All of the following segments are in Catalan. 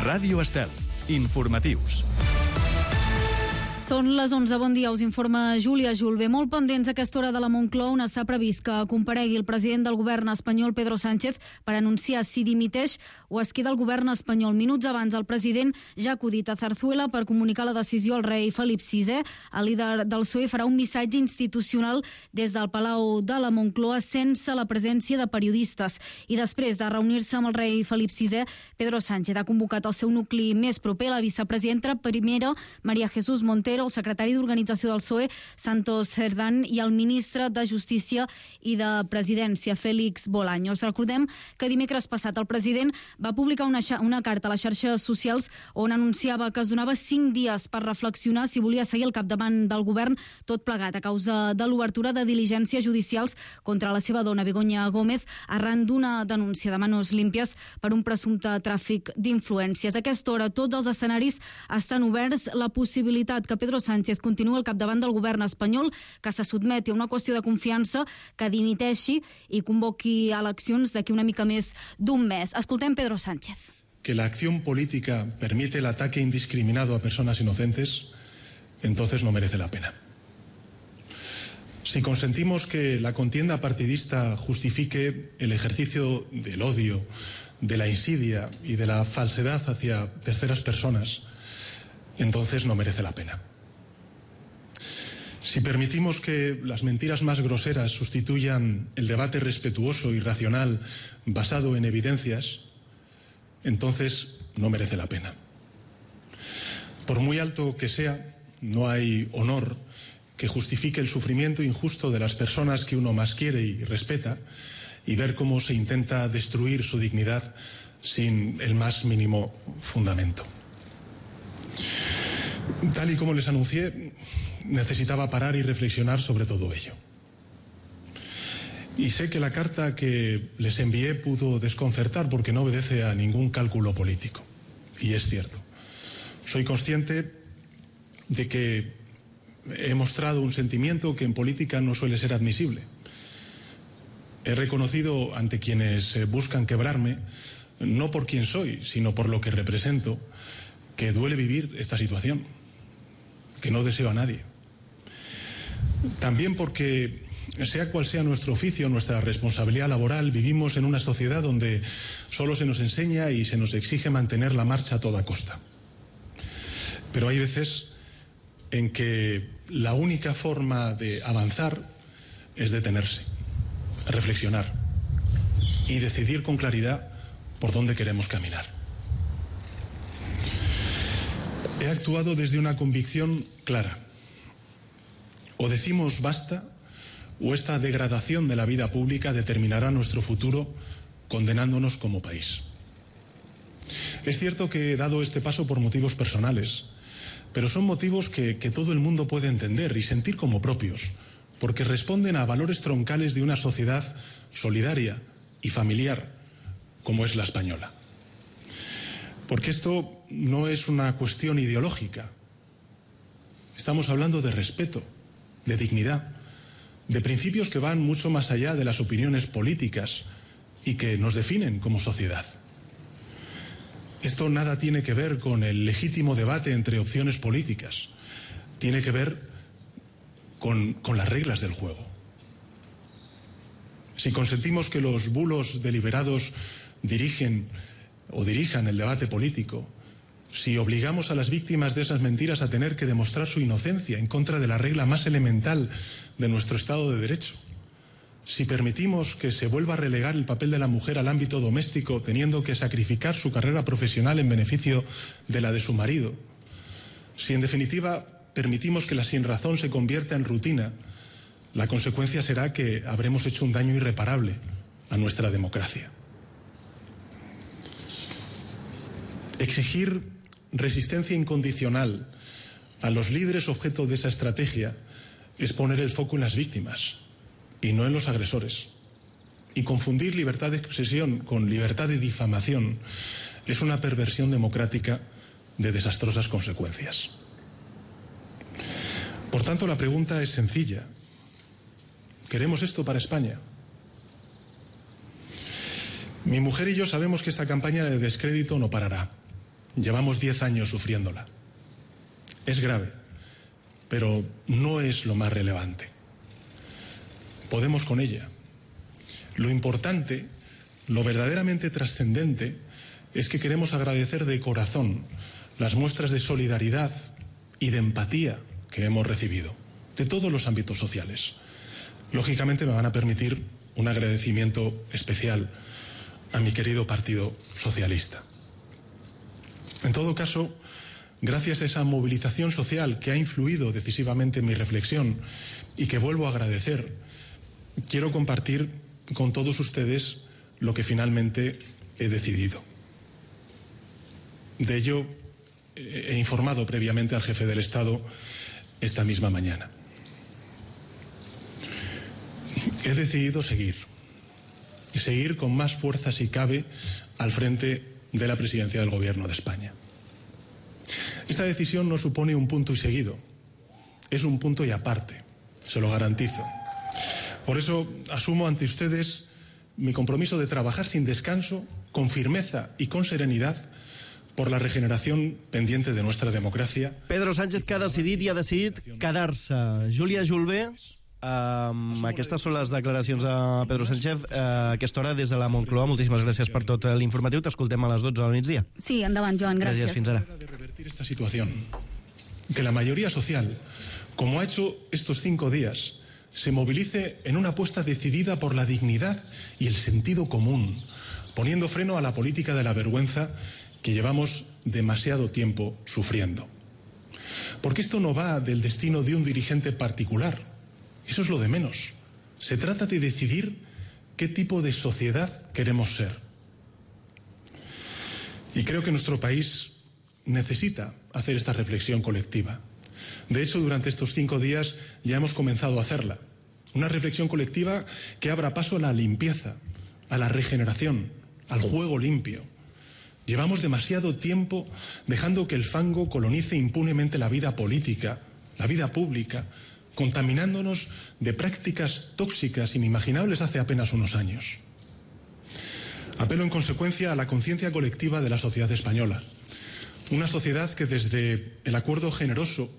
Ràdio Estel. Informatius. Són les 11, bon dia, us informa Júlia Julve. Molt pendents a aquesta hora de la Moncloa, on està previst que comparegui el president del govern espanyol, Pedro Sánchez, per anunciar si dimiteix o es queda el govern espanyol. Minuts abans, el president ja ha acudit a Zarzuela per comunicar la decisió al rei Felip VI. El líder del PSOE farà un missatge institucional des del Palau de la Moncloa sense la presència de periodistes. I després de reunir-se amb el rei Felip VI, Pedro Sánchez ha convocat el seu nucli més proper, la vicepresidenta primera, María Jesús Montero, el secretari d'Organització del PSOE, Santos Cerdán, i el ministre de Justícia i de Presidència, Félix Bolaños. Recordem que dimecres passat el president va publicar una carta a les xarxes socials on anunciava que es donava 5 dies per reflexionar si volia seguir al capdavant del govern, tot plegat a causa de l'obertura de diligències judicials contra la seva dona, Begoña Gómez, arran d'una denúncia de manos límpies per un presumpte tràfic d'influències. A aquesta hora tots els escenaris estan oberts. La possibilitat que Pedro Sánchez continua al capdavant del govern espanyol, que se sotmeti a una qüestió de confiança, que dimiteixi i convoqui eleccions d'aquí una mica més d'un mes. Escoltem Pedro Sánchez. Que la acción política permite el ataque indiscriminado a personas inocentes, entonces no merece la pena. Si consentimos que la contienda partidista justifique el ejercicio del odio, de la insidia y de la falsedad hacia terceras personas, entonces no merece la pena. Si permitimos que las mentiras más groseras sustituyan el debate respetuoso y racional basado en evidencias, entonces no merece la pena. Por muy alto que sea, no hay honor que justifique el sufrimiento injusto de las personas que uno más quiere y respeta, y ver cómo se intenta destruir su dignidad sin el más mínimo fundamento. Tal y como les anuncié, necesitaba parar y reflexionar sobre todo ello. Y sé que la carta que les envié pudo desconcertar porque no obedece a ningún cálculo político. Y es cierto. Soy consciente de que he mostrado un sentimiento que en política no suele ser admisible. He reconocido ante quienes buscan quebrarme, no por quién soy, sino por lo que represento, que duele vivir esta situación, que no deseo a nadie. También porque, sea cual sea nuestro oficio, nuestra responsabilidad laboral, vivimos en una sociedad donde solo se nos enseña y se nos exige mantener la marcha a toda costa. Pero hay veces en que la única forma de avanzar es detenerse, reflexionar y decidir con claridad por dónde queremos caminar. He actuado desde una convicción clara. O decimos basta, o esta degradación de la vida pública determinará nuestro futuro condenándonos como país. Es cierto que he dado este paso por motivos personales, pero son motivos que todo el mundo puede entender y sentir como propios, porque responden a valores troncales de una sociedad solidaria y familiar como es la española. Porque esto no es una cuestión ideológica. Estamos hablando de respeto, de dignidad, de principios que van mucho más allá de las opiniones políticas y que nos definen como sociedad. Esto nada tiene que ver con el legítimo debate entre opciones políticas. Tiene que ver con las reglas del juego. Si consentimos que los bulos deliberados dirijan el debate político, si obligamos a las víctimas de esas mentiras a tener que demostrar su inocencia en contra de la regla más elemental de nuestro Estado de Derecho, si permitimos que se vuelva a relegar el papel de la mujer al ámbito doméstico, teniendo que sacrificar su carrera profesional en beneficio de la de su marido, si en definitiva permitimos que la sinrazón se convierta en rutina, la consecuencia será que habremos hecho un daño irreparable a nuestra democracia. Exigir resistencia incondicional a los líderes objeto de esa estrategia es poner el foco en las víctimas y no en los agresores. Y confundir libertad de expresión con libertad de difamación es una perversión democrática de desastrosas consecuencias. Por tanto, la pregunta es sencilla. ¿Queremos esto para España? Mi mujer y yo sabemos que esta campaña de descrédito no parará. Llevamos 10 años sufriéndola. Es grave, pero no es lo más relevante. Podemos con ella. Lo importante, lo verdaderamente trascendente, es que queremos agradecer de corazón las muestras de solidaridad y de empatía que hemos recibido, de todos los ámbitos sociales. Lógicamente me van a permitir un agradecimiento especial a mi querido Partido Socialista. En todo caso, gracias a esa movilización social que ha influido decisivamente en mi reflexión y que vuelvo a agradecer, quiero compartir con todos ustedes lo que finalmente he decidido. De ello he informado previamente al jefe del Estado esta misma mañana. He decidido seguir con más fuerza si cabe al frente de la presidencia del Gobierno de España. Esta decisión no supone un punto y seguido, es un punto y aparte, se lo garantizo. Por eso asumo ante ustedes mi compromiso de trabajar sin descanso, con firmeza y con serenidad por la regeneración pendiente de nuestra democracia. Pedro Sánchez que ha decidit i ha decidit quedar-se. Júlia Julvé, aquestes són les declaracions de Pedro Sánchez a aquesta hora des de la Moncloa. Moltíssimes gràcies per tot l'informatiu. T'escoltem a les 12 del migdia. Sí, endavant, Joan, gràcies. Gràcies, fins ara. De revertir esta situación, que la mayoría social, como ha hecho estos 5 días, se movilice en una apuesta decidida por la dignidad y el sentido común, poniendo freno a la política de la vergüenza que llevamos demasiado tiempo sufriendo. Porque esto no va del destino de un dirigente particular, eso es lo de menos. Se trata de decidir qué tipo de sociedad queremos ser. Y creo que nuestro país necesita hacer esta reflexión colectiva. De hecho, durante estos 5 días ya hemos comenzado a hacerla. Una reflexión colectiva que abra paso a la limpieza, a la regeneración, al juego limpio. Llevamos demasiado tiempo dejando que el fango colonice impunemente la vida política, la vida pública, contaminándonos de prácticas tóxicas inimaginables hace apenas unos años. Apelo en consecuencia a la conciencia colectiva de la sociedad española. Una sociedad que desde el acuerdo generoso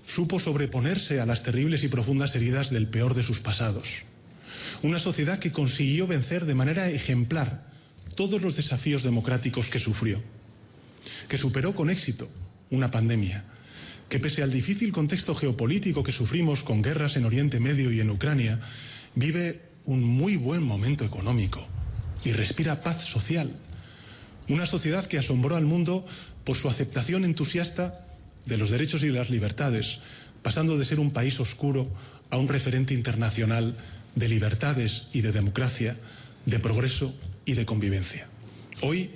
supo sobreponerse a las terribles y profundas heridas del peor de sus pasados. Una sociedad que consiguió vencer de manera ejemplar todos los desafíos democráticos que sufrió, que superó con éxito una pandemia, que pese al difícil contexto geopolítico que sufrimos con guerras en Oriente Medio y en Ucrania, vive un muy buen momento económico y respira paz social. Una sociedad que asombró al mundo por su aceptación entusiasta de los derechos y de las libertades, pasando de ser un país oscuro a un referente internacional de libertades y de democracia, de progreso y de convivencia. Hoy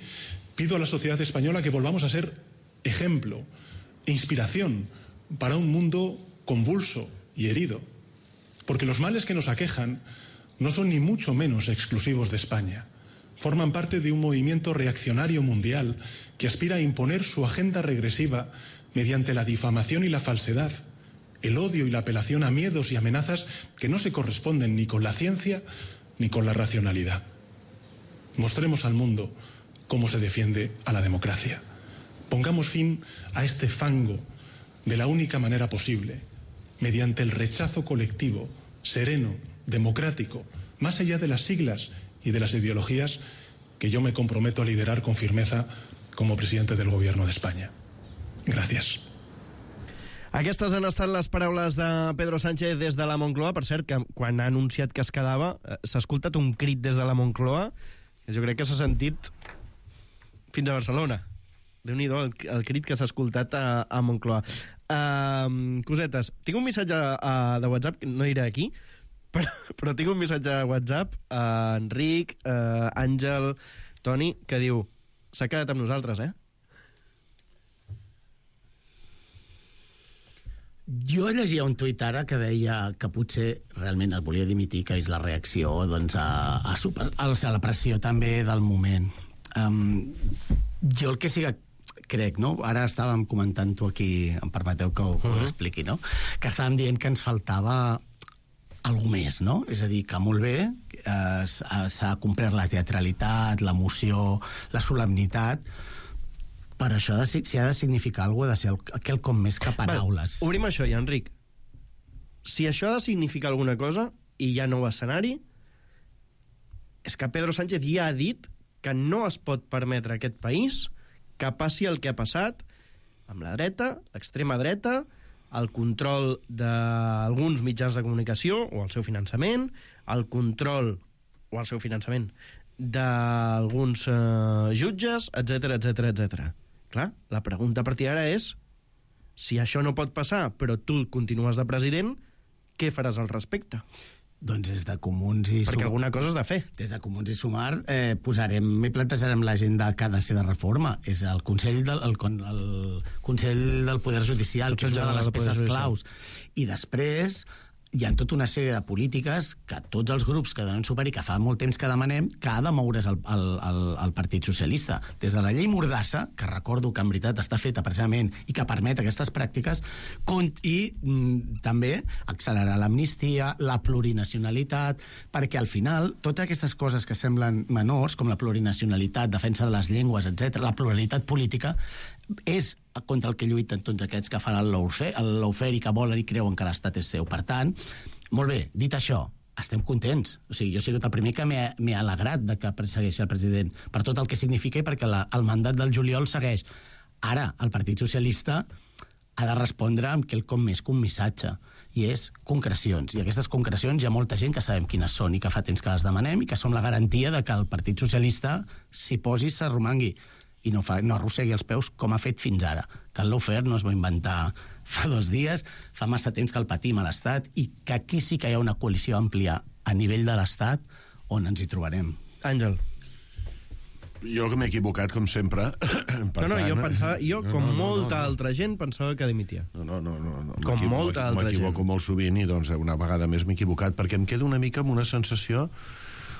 pido a la sociedad española que volvamos a ser ejemplo, inspiración para un mundo convulso y herido, porque los males que nos aquejan no son ni mucho menos exclusivos de España. Forman parte de un movimiento reaccionario mundial que aspira a imponer su agenda regresiva mediante la difamación y la falsedad, el odio y la apelación a miedos y amenazas que no se corresponden ni con la ciencia ni con la racionalidad. Mostremos al mundo cómo se defiende a la democracia. Pongamos fin a este fango de la única manera posible, mediante el rechazo colectivo, sereno, democrático, más allá de las siglas y de las ideologías que yo me comprometo a liderar con firmeza como presidente del Gobierno de España. Gracias. Aquestes han estat les paraules de Pedro Sánchez des de la Moncloa. Per cert, que quan ha anunciat que es quedava, s'ha escoltat un crit des de la Moncloa que jo crec que s'ha sentit fins a Barcelona. Déu-n'hi-do el crit que s'ha escoltat a Moncloa. Cosetes, tinc un missatge de WhatsApp, que no iré aquí, però tinc un missatge de WhatsApp a Enric, Àngel, Toni, que diu: s'ha quedat amb nosaltres, eh? Jo llegia un tuit ara que deia que potser realment el volia dimitir, que és la reacció doncs, a la pressió també del moment. Jo el que sí que crec, no? Ara estàvem comentant-ho aquí, em permeteu que ho expliqui, no? Que estàvem dient que ens faltava algú més, no? És a dir, que molt bé, s'ha complert la teatralitat, l'emoció, la solemnitat, Però això, si ha de significar alguna cosa, ha de ser quelcom més que paraules. Obrim això ja, Enric. Si això ha de significar alguna cosa, i hi ha nou escenari, és que Pedro Sánchez ja ha dit que no es pot permetre a aquest país que passi el que ha passat amb la dreta, l'extrema dreta, el control d'alguns mitjans de comunicació o el seu finançament, el control o el seu finançament d'alguns jutges, etc. Clar, la pregunta a partir d'ara és si això no pot passar però tu continues de president, què faràs al respecte? Doncs des de Comuns i Perquè alguna cosa has de fer. Des de Comuns i Sumar plantejarem l'agenda que ha de ser de reforma. És el Consell del Poder Judicial, que és una de les peces claus. I després hi ha tota una sèrie de polítiques que tots els grups que donen suport i que fa molt temps que demanem que ha de moure's el Partit Socialista. Des de la llei Mordassa, que recordo que en veritat està feta precisament i que permet aquestes pràctiques, i també accelerar l'amnistia, la plurinacionalitat, perquè al final totes aquestes coses que semblen menors, com la plurinacionalitat, defensa de les llengües, etc., la pluralitat política, és contra el que lluiten tots aquests que fan el lawfare i que volen i creuen que l'Estat és seu. Per tant, molt bé, dit això, estem contents. O sigui, jo he sigut el primer que m'he alegrat de que segueixi el president per tot el que significa i perquè el mandat del juliol segueix. Ara, el Partit Socialista ha de respondre amb quelcom més que un missatge, i és concrecions. I aquestes concrecions hi ha molta gent que sabem quines són i que fa temps que les demanem i que som la garantia de que el Partit Socialista s'hi posi i s'arromangui i no arrossegui els peus com ha fet fins ara. Que el lawfare no es va inventar fa 2 dies, fa massa temps que el patim a l'Estat i que aquí sí que hi ha una coalició àmplia a nivell de l'Estat on ens hi trobarem. Àngel. Jo que m'he equivocat, com sempre. Jo, com molta altra gent, pensava que dimitia. No. Com molta altra gent. M'equivoco molt sovint i doncs una vegada més m'he equivocat perquè em quedo una mica amb una sensació,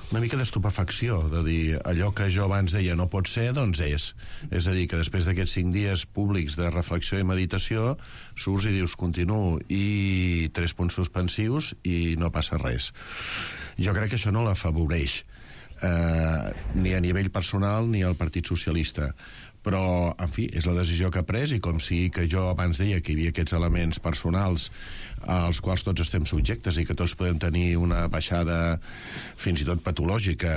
una mica d'estupefacció, de dir allò que jo abans deia no pot ser, doncs és. És a dir, que després d'aquests 5 dies públics de reflexió i meditació surts i dius continuo i 3 punts suspensius i no passa res. Jo crec que això no l'afavoreix ni a nivell personal ni al Partit Socialista, però, en fi, és la decisió que ha pres i com sigui que jo abans deia que hi havia aquests elements personals als quals tots estem subjectes i que tots podem tenir una baixada fins i tot patològica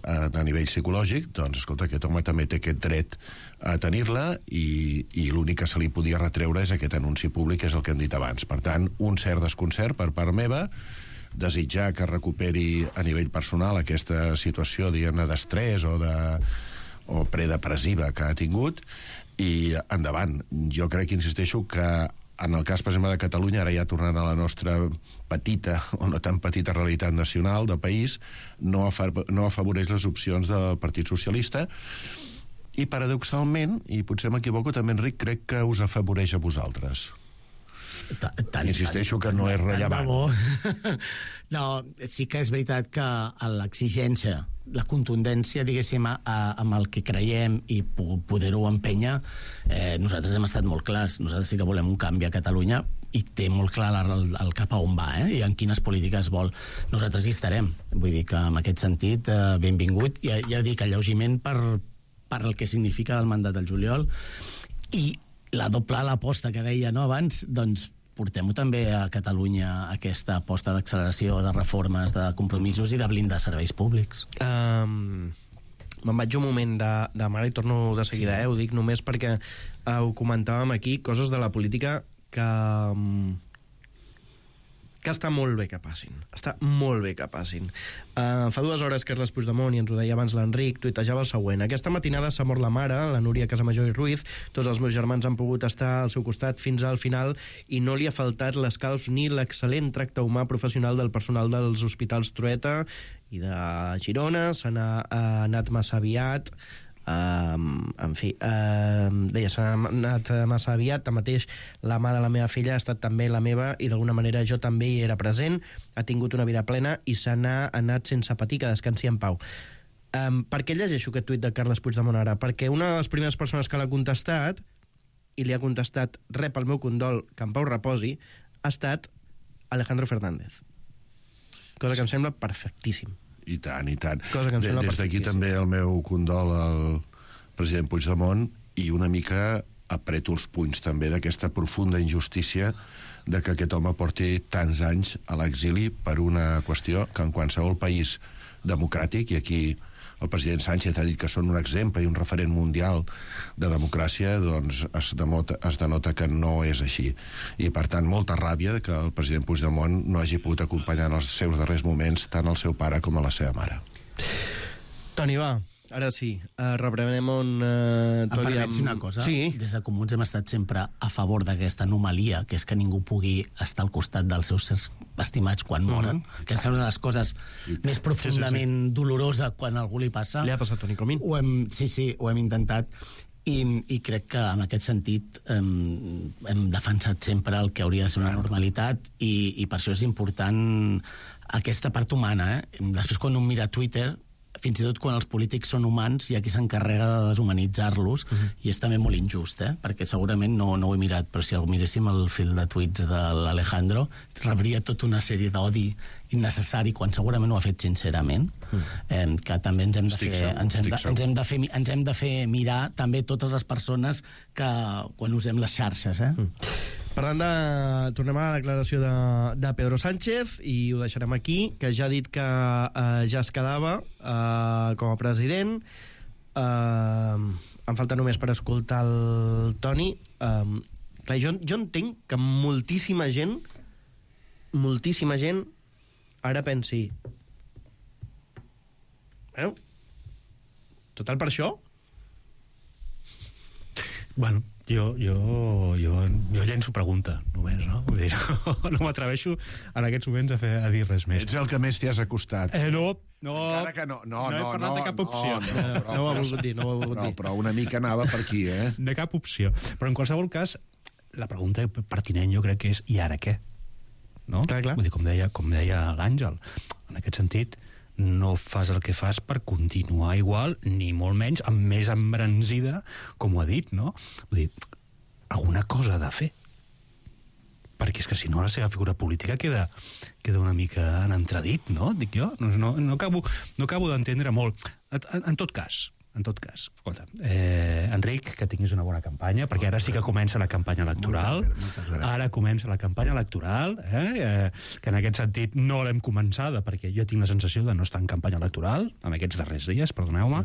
a nivell psicològic, doncs, escolta, aquest home també té aquest dret a tenir-la i l'únic que se li podia retreure és aquest anunci públic, que és el que hem dit abans. Per tant, un cert desconcert per part meva, desitjar que recuperi a nivell personal aquesta situació, diguem-ne, d'estrès o predepressiva que ha tingut i endavant. Jo crec, insisteixo, que en el cas, per exemple, de Catalunya, ara ja tornant a la nostra petita o no tan petita realitat nacional del país, no afavoreix les opcions del Partit Socialista i, paradoxalment, i potser m'equivoco també, Enric, crec que us afavoreix a vosaltres. Insisteixo que no és rellevant. No, sí que és veritat que l'exigència, la contundència, diguéssim, amb el que creiem i poder-ho empènyer, nosaltres hem estat molt clars. Nosaltres sí que volem un canvi a Catalunya i té molt clar el cap a on va, i en quines polítiques vol. Nosaltres hi estarem. Vull dir que, en aquest sentit, benvingut. Ja dic, alleugiment per el que significa el mandat del juliol i la l'aposta que deia abans, doncs portem-ho també a Catalunya, aquesta aposta d'acceleració, de reformes, de compromisos i de blindar serveis públics. Me'n vaig un moment de mare i torno de seguida, ho dic només perquè ho comentàvem aquí, coses de la política que està molt bé que passin. Està molt bé que passin. Fa 2 hores Carles Puigdemont, i ens ho deia abans l'Enric, tuitejava el següent: aquesta matinada s'ha mort la mare, la Núria Casamajor i Ruiz, tots els meus germans han pogut estar al seu costat fins al final i no li ha faltat l'escalf ni l'excel·lent tracte humà professional del personal dels hospitals Trueta i de Girona. Se n'ha anat massa aviat. En fi, deia, s'ha anat massa aviat. Tanmateix, la mà de la meva filla ha estat també la meva i d'alguna manera jo també hi era present. Ha tingut una vida plena i se n'ha anat sense patir, que descansi en pau. Per què llegeixo aquest tuit de Carles Puigdemont ara? Perquè una de les primeres persones que l'ha contestat, i li ha contestat rep el meu condol, que en pau reposi, ha estat Alejandro Fernández. Cosa que em sembla perfectíssim. I tant, i tant. Des d'aquí també el meu condol al president Puigdemont i una mica apreto els punys també d'aquesta profunda injustícia de que aquest home porti tants anys a l'exili per una qüestió que en qualsevol país democràtic, i aquí el president Sánchez ha dit que són un exemple i un referent mundial de democràcia, doncs es denota que no és així. I, per tant, molta ràbia que el president Puigdemont no hagi pogut acompanyar en els seus darrers moments tant el seu pare com a la seva mare. Toni, va, ara sí, reprenem on... Em permets una cosa? Sí. Des de Comuns hem estat sempre a favor d'aquesta anomalia, que és que ningú pugui estar al costat dels seus éssers estimats quan moren, que em sembla una de les coses més profundament dolorosa quan a algú li passa. Li ha passat a Toni Comín. Sí, ho hem intentat. I crec que en aquest sentit hem defensat sempre el que hauria de ser una normalitat i per això és important aquesta part humana. Després, quan un mira Twitter, fins i tot quan els polítics són humans, hi ha qui s'encarrega de deshumanitzar-los, i és també molt injust, perquè segurament no ho he mirat, però si miréssim el fil de tuits de l'Alejandro, rebria tota una sèrie d'odi innecessari quan segurament ho ha fet sincerament, que també ens hem de fer mirar també totes les persones que quan usem les xarxes. Parlant tornem a la declaració de Pedro Sánchez i ho deixarem aquí, que ja ha dit que ja es quedava com a president. Em falta només per escoltar el Toni. Clar, jo entenc que moltíssima gent ara pensi bueno, total per això? Bueno, jo llenço pregunta, només, no? Vull dir, no m'atreveixo en aquests moments a dir res més. Ets el que més t'hi has acostat. No. Encara que no he parlat de cap opció. No ho ha volgut dir. Però una mica anava per aquí, De cap opció. Però en qualsevol cas, la pregunta pertinent jo crec que és i ara què? No? Clar. Vull dir, com deia l'Àngel, en aquest sentit, no fas el que fas per continuar igual, ni molt menys, amb més embranzida, com ho ha dit, no? Vull dir, alguna cosa ha de fer. Perquè és que si no la seva figura política queda una mica en entredit, no? Dic jo, no acabo d'entendre molt. En tot cas, escolta, Enric, que tinguis una bona campanya, perquè ara sí que comença la campanya electoral. Ara comença la campanya electoral, que en aquest sentit no l'hem començada, perquè jo tinc la sensació de no estar en campanya electoral, en aquests darrers dies, perdoneu-me.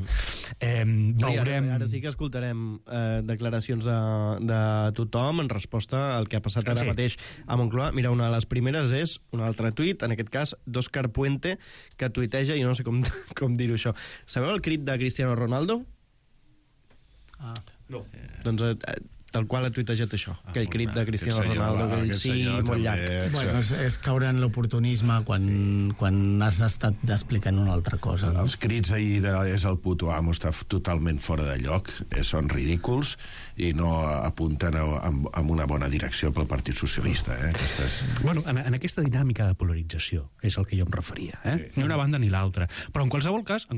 Veurem... Ara sí que escoltarem declaracions de tothom en resposta al que ha passat ara mateix a Moncloa. Mira, una de les primeres és un altre tuit, en aquest cas d'Òscar Puente, que tuiteja, i no sé com dir-ho això. Sabeu el crit de Cristiano Ronaldo? No. Doncs tal qual ha tuitejat això, aquell crit de Cristiano Ronaldo, aquell sí molt llarg. Bueno, és caure en l'oportunisme quan has estat explicant una altra cosa, no? Els crits ahir és el puto amo està totalment fora de lloc, són ridículs i no apunten en una bona direcció pel Partit Socialista. Bueno, en aquesta dinàmica de polarització és el que jo em referia, ni una banda ni l'altra. Però en qualsevol cas,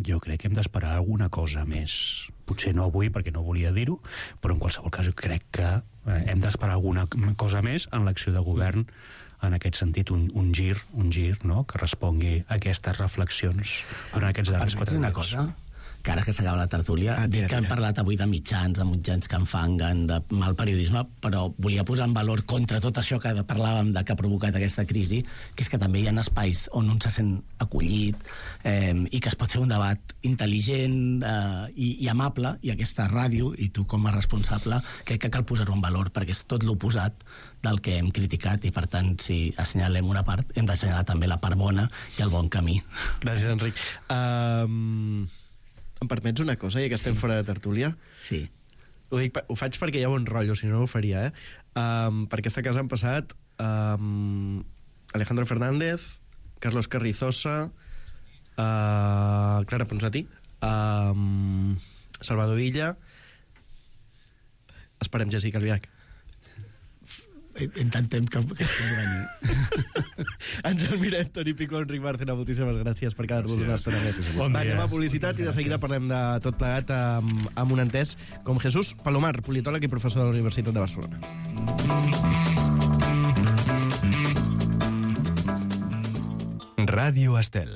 jo crec que hem d'esperar alguna cosa més. Potser no avui, perquè no volia dir-ho, però en qualsevol cas jo crec que hem d'esperar alguna cosa més en l'acció de govern, en aquest sentit, un gir, no?, que respongui a aquestes reflexions durant aquests darrers 4 una dies. cosa? Que ara que s'acaba la tertúlia, que hem parlat avui de mitjans que enfanguen, de mal periodisme, però volia posar en valor contra tot això que parlàvem de que ha provocat aquesta crisi, que és que també hi ha espais on un se sent acollit i que es pot fer un debat intel·ligent i amable, i aquesta ràdio, i tu com a responsable, crec que cal posar-ho en valor, perquè és tot l'oposat del que hem criticat, i per tant, si assenyalem una part, hem d'assenyalar també la part bona i el bon camí. Gràcies, Enric. Em permets una cosa, ja que estem fora de tertúlia? Sí. Ho faig perquè hi ha bon rotllo, si no ho faria, Per aquesta casa han passat Alejandro Fernández, Carlos Carrizosa, Clara Ponsatí, Salvador Illa, esperem Jessica Albiach. Intentem que pugui venir. Ens el mirem, Toni Picó, Enric Bárcena, moltíssimes gràcies per quedar-vos una estona més. Anem a publicitat i de seguida parlem de tot plegat amb un entès com Jesús Palomar, politòleg i professor de la Universitat de Barcelona. Ràdio Estel.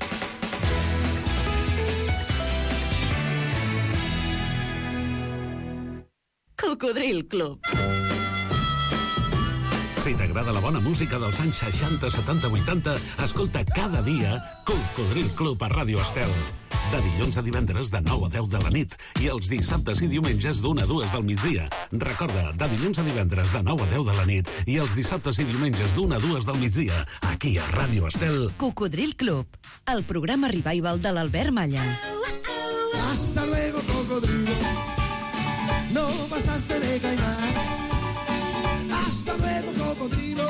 Cocodril Club. Si t'agrada la bona música dels anys 60, 70, 80, escolta cada dia Cocodril Club a Ràdio Estel. De dilluns a divendres de 9 a 10 de la nit i els dissabtes i diumenges d'1 a 2 del migdia. Recorda, de dilluns a divendres de 9 a 10 de la nit i els dissabtes i diumenges d'1 a 2 del migdia, aquí a Ràdio Estel. Cocodril Club, el programa revival de l'Albert Malla. Hasta luego, cocodrilo. No pasaste de caimán. Hasta luego, cocodrilo.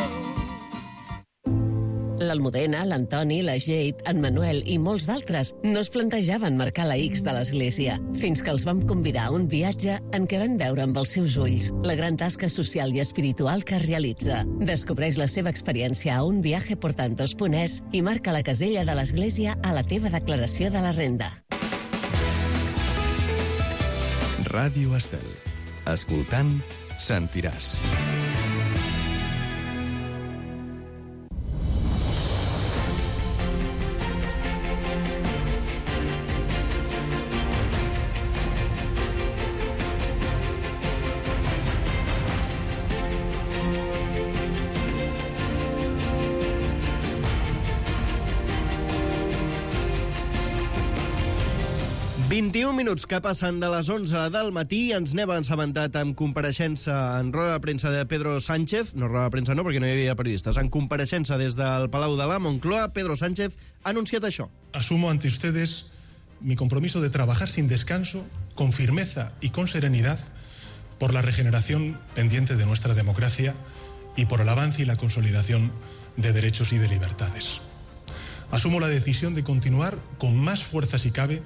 L'Almudena, l'Antoni, la Jade, en Manuel i molts d'altres no es plantejaven marcar la X de l'església, fins que els vam convidar a un viatge en què van veure amb els seus ulls la gran tasca social i espiritual que realitza. Descobreix la seva experiència a unviajeportantos.es i marca la casella de l'església a la teva declaració de la renda. Ràdio Estel. Escoltant, sentiràs. Minuts que passen de les 11 del matí, ens n'hem assabentat amb compareixença en roda de premsa de Pedro Sánchez, no roda de premsa no, perquè no hi havia periodistes, en compareixença des del Palau de la Moncloa, Pedro Sánchez ha anunciat això. Asumo ante ustedes mi compromiso de trabajar sin descanso, con firmeza y con serenidad, por la regeneración pendiente de nuestra democracia y por el avance y la consolidación de derechos y de libertades. Asumo la decisión de continuar con más fuerza si cabe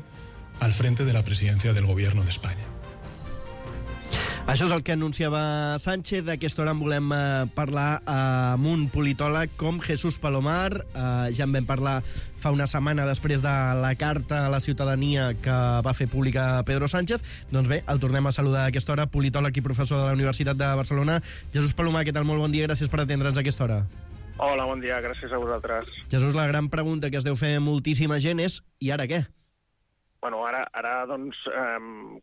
al frente de la presidencia del Gobierno de España. Això és el que anunciava Sánchez. D'aquesta hora en volem parlar amb un politòleg com Jesús Palomar. Ja en vam parlar fa una setmana després de la carta a la ciutadania que va fer pública Pedro Sánchez. Doncs bé, el tornem a saludar a aquesta hora, politòleg i professor de la Universitat de Barcelona. Jesús Palomar, què tal? Molt bon dia, gràcies per atendre'ns a aquesta hora. Hola, bon dia, gràcies a vosaltres. Jesús, la gran pregunta que es deu fer moltíssima gent és i ara què? Bueno, ara doncs,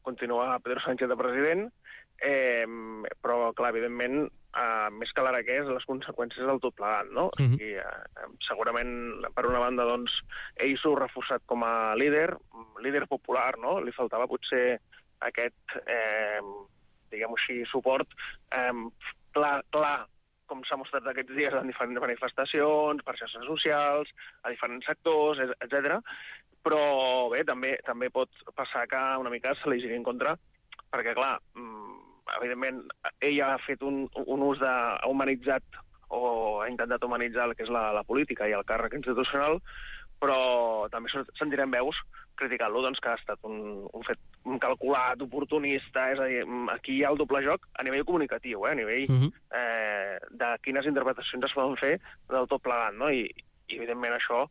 continua Pedro Sánchez de president, però, clar, evidentment, més que l'ara què és, les conseqüències del tot plegat, no? I, segurament, per una banda, doncs, ell s'ho ha reforçat com a líder popular, no? Li faltava potser aquest, diguem-ho així, suport clar, com s'ha mostrat aquests dies en diferents manifestacions, per xarxes socials, a diferents sectors, etc. Però bé, també pot passar que una mica se li giri en contra, perquè, clar, evidentment, ell ha fet un ús ha humanitzat o ha intentat humanitzar el que és la política i el càrrec institucional, però també sentirem veus criticant-lo, doncs, que ha estat un fet calculat, oportunista, és a dir, aquí hi ha el doble joc a nivell comunicatiu, a nivell de quines interpretacions es poden fer del tot plegat, no? I evidentment, això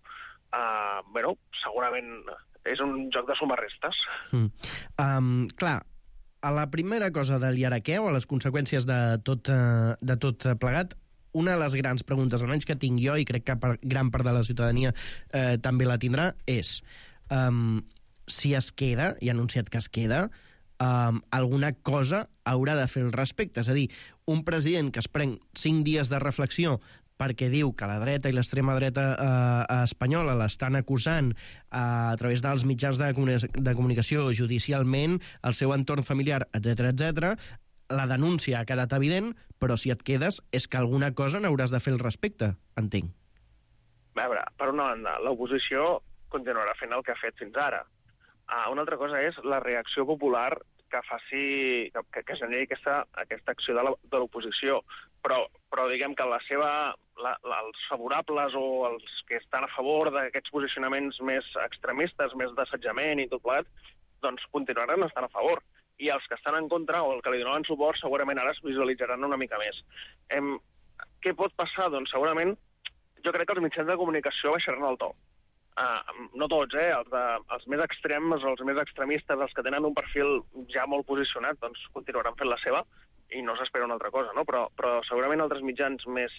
segurament és un joc de suma-restes. Clar, a la primera cosa de l'Iaraquè o a les conseqüències de tot plegat, una de les grans preguntes, almenys que tinc jo, i crec que gran part de la ciutadania també la tindrà, és si es queda, i ha anunciat que es queda, alguna cosa haurà de fer al respecte. És a dir, un president que es pren 5 dies de reflexió perquè diu que la dreta i l'extrema dreta espanyola l'estan acusant a través dels mitjans de comunicació judicialment, el seu entorn familiar, etc. La denúncia ha quedat evident, però si et quedes és que alguna cosa n'hauràs de fer al respecte, entenc. A veure, per una banda, l'oposició continuarà fent el que ha fet fins ara. Una altra cosa és la reacció popular que generi aquesta acció de l'oposició. Però diguem que els favorables o els que estan a favor d'aquests posicionaments més extremistes, més d'assetjament i tot plegat, doncs continuaran estant a favor. I els que estan en contra o el que li donaven suport segurament ara es visualitzaran una mica més. Què pot passar? Doncs segurament jo crec que els mitjans de comunicació baixaran el to. No tots, els més extrems, els més extremistes, els que tenen un perfil ja molt posicionat, doncs continuaran fent la seva i no s'espera una altra cosa, no? Però segurament altres mitjans més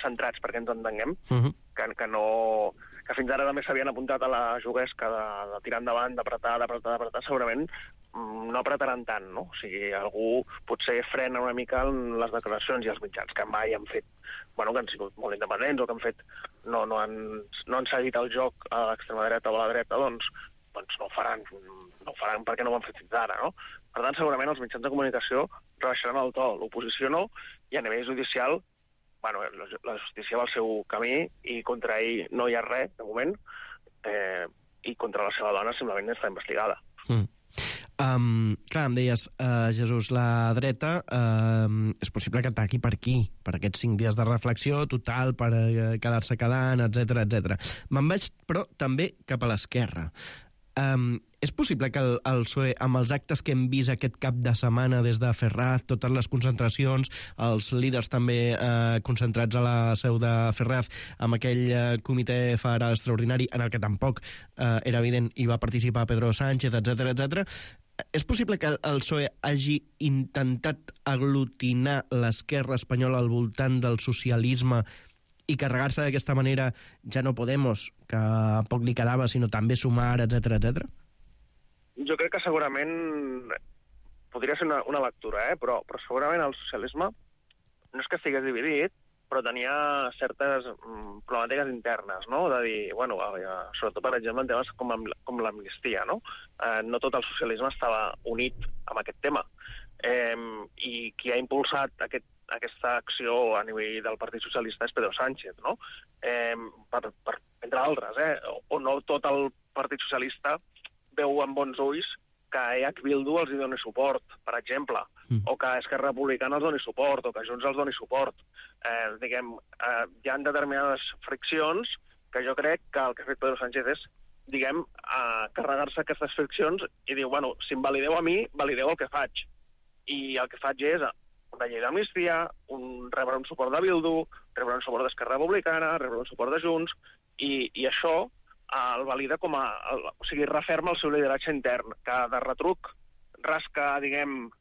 centrats, perquè ens entenguem, que que fins ara també s'havien apuntat a la juguesca de tirar endavant, d'apretar, segurament no apretaran tant, no? O sigui, algú potser frena una mica en les declaracions i els mitjans que mai han fet, bueno, que han sigut molt independents o que han fet, no han seguit el joc a l'extrema dreta o a la dreta, doncs no ho faran perquè no ho han fet fins ara, no? Per tant, segurament els mitjans de comunicació rebaixaran el to, l'oposició no, i a nivell judicial, bueno, la justícia va al seu camí i contra ell no hi ha res, de moment, i contra la seva dona simplement està investigada. Clar, em deies, Jesús, la dreta és possible que ataqui per aquí, per aquests 5 dies de reflexió total, per quedar-se quedant, etc. Me'n vaig, però, també cap a l'esquerra. És possible que el PSOE, amb els actes que hem vist aquest cap de setmana des de Ferraz, totes les concentracions, els líders també concentrats a la seu de Ferraz, amb aquell comitè federal extraordinari en el que tampoc era evident hi va participar Pedro Sánchez, etc. És possible que el PSOE hagi intentat aglutinar l'esquerra espanyola al voltant del socialisme i carregar-se d'aquesta manera ja no Podemos, que poc li quedava, sinó també Sumar, etc. Jo crec que segurament podria ser una lectura, però segurament el socialisme no és que estigués dividit, però tenia certes problemàtiques internes, no? De dir, bueno, sobretot, per exemple, en temes com l'amnistia, no? No tot el socialisme estava unit amb aquest tema. I qui ha impulsat aquesta acció a nivell del Partit Socialista és Pedro Sánchez, no? Entre altres, o no tot el Partit Socialista veu amb bons ulls que EH Bildu els hi doni suport, per exemple, o que Esquerra Republicana els doni suport, o que Junts els doni suport. Hi ha determinades friccions que jo crec que el que ha fet Pedro Sánchez és, carregar-se aquestes friccions i dir, bueno, si em valideu a mi, valideu el que faig. I el que faig és una llei d'amnistia, rebre un suport de Bildu, rebre un suport d'Esquerra Republicana, rebre un suport de Junts, i això el valida com a... O sigui, referma el seu lideratge intern, que de retruc rasca,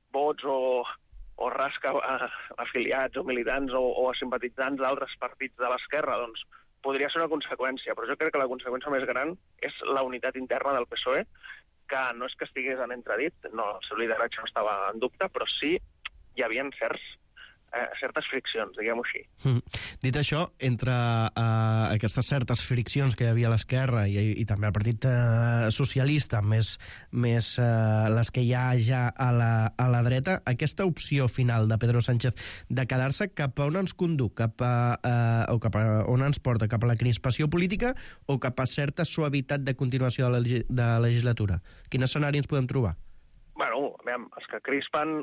vots o rasca afiliats o militants o simpatitzants d'altres partits de l'esquerra, doncs podria ser una conseqüència, però jo crec que la conseqüència més gran és la unitat interna del PSOE, que no és que estigués en entredit, no, el seu lideratge no estava en dubte, però sí hi havia certes friccions, diguem-ho així. Dit això, entre aquestes certes friccions que hi havia a l'esquerra i també al Partit Socialista, més les que hi ha ja a la dreta, aquesta opció final de Pedro Sánchez de quedar-se cap a on ens conduc, cap a on ens porta, cap a la crispació política o cap a certa suavitat de continuació de la legislatura? Quin escenari ens podem trobar? Bueno, els que crispen,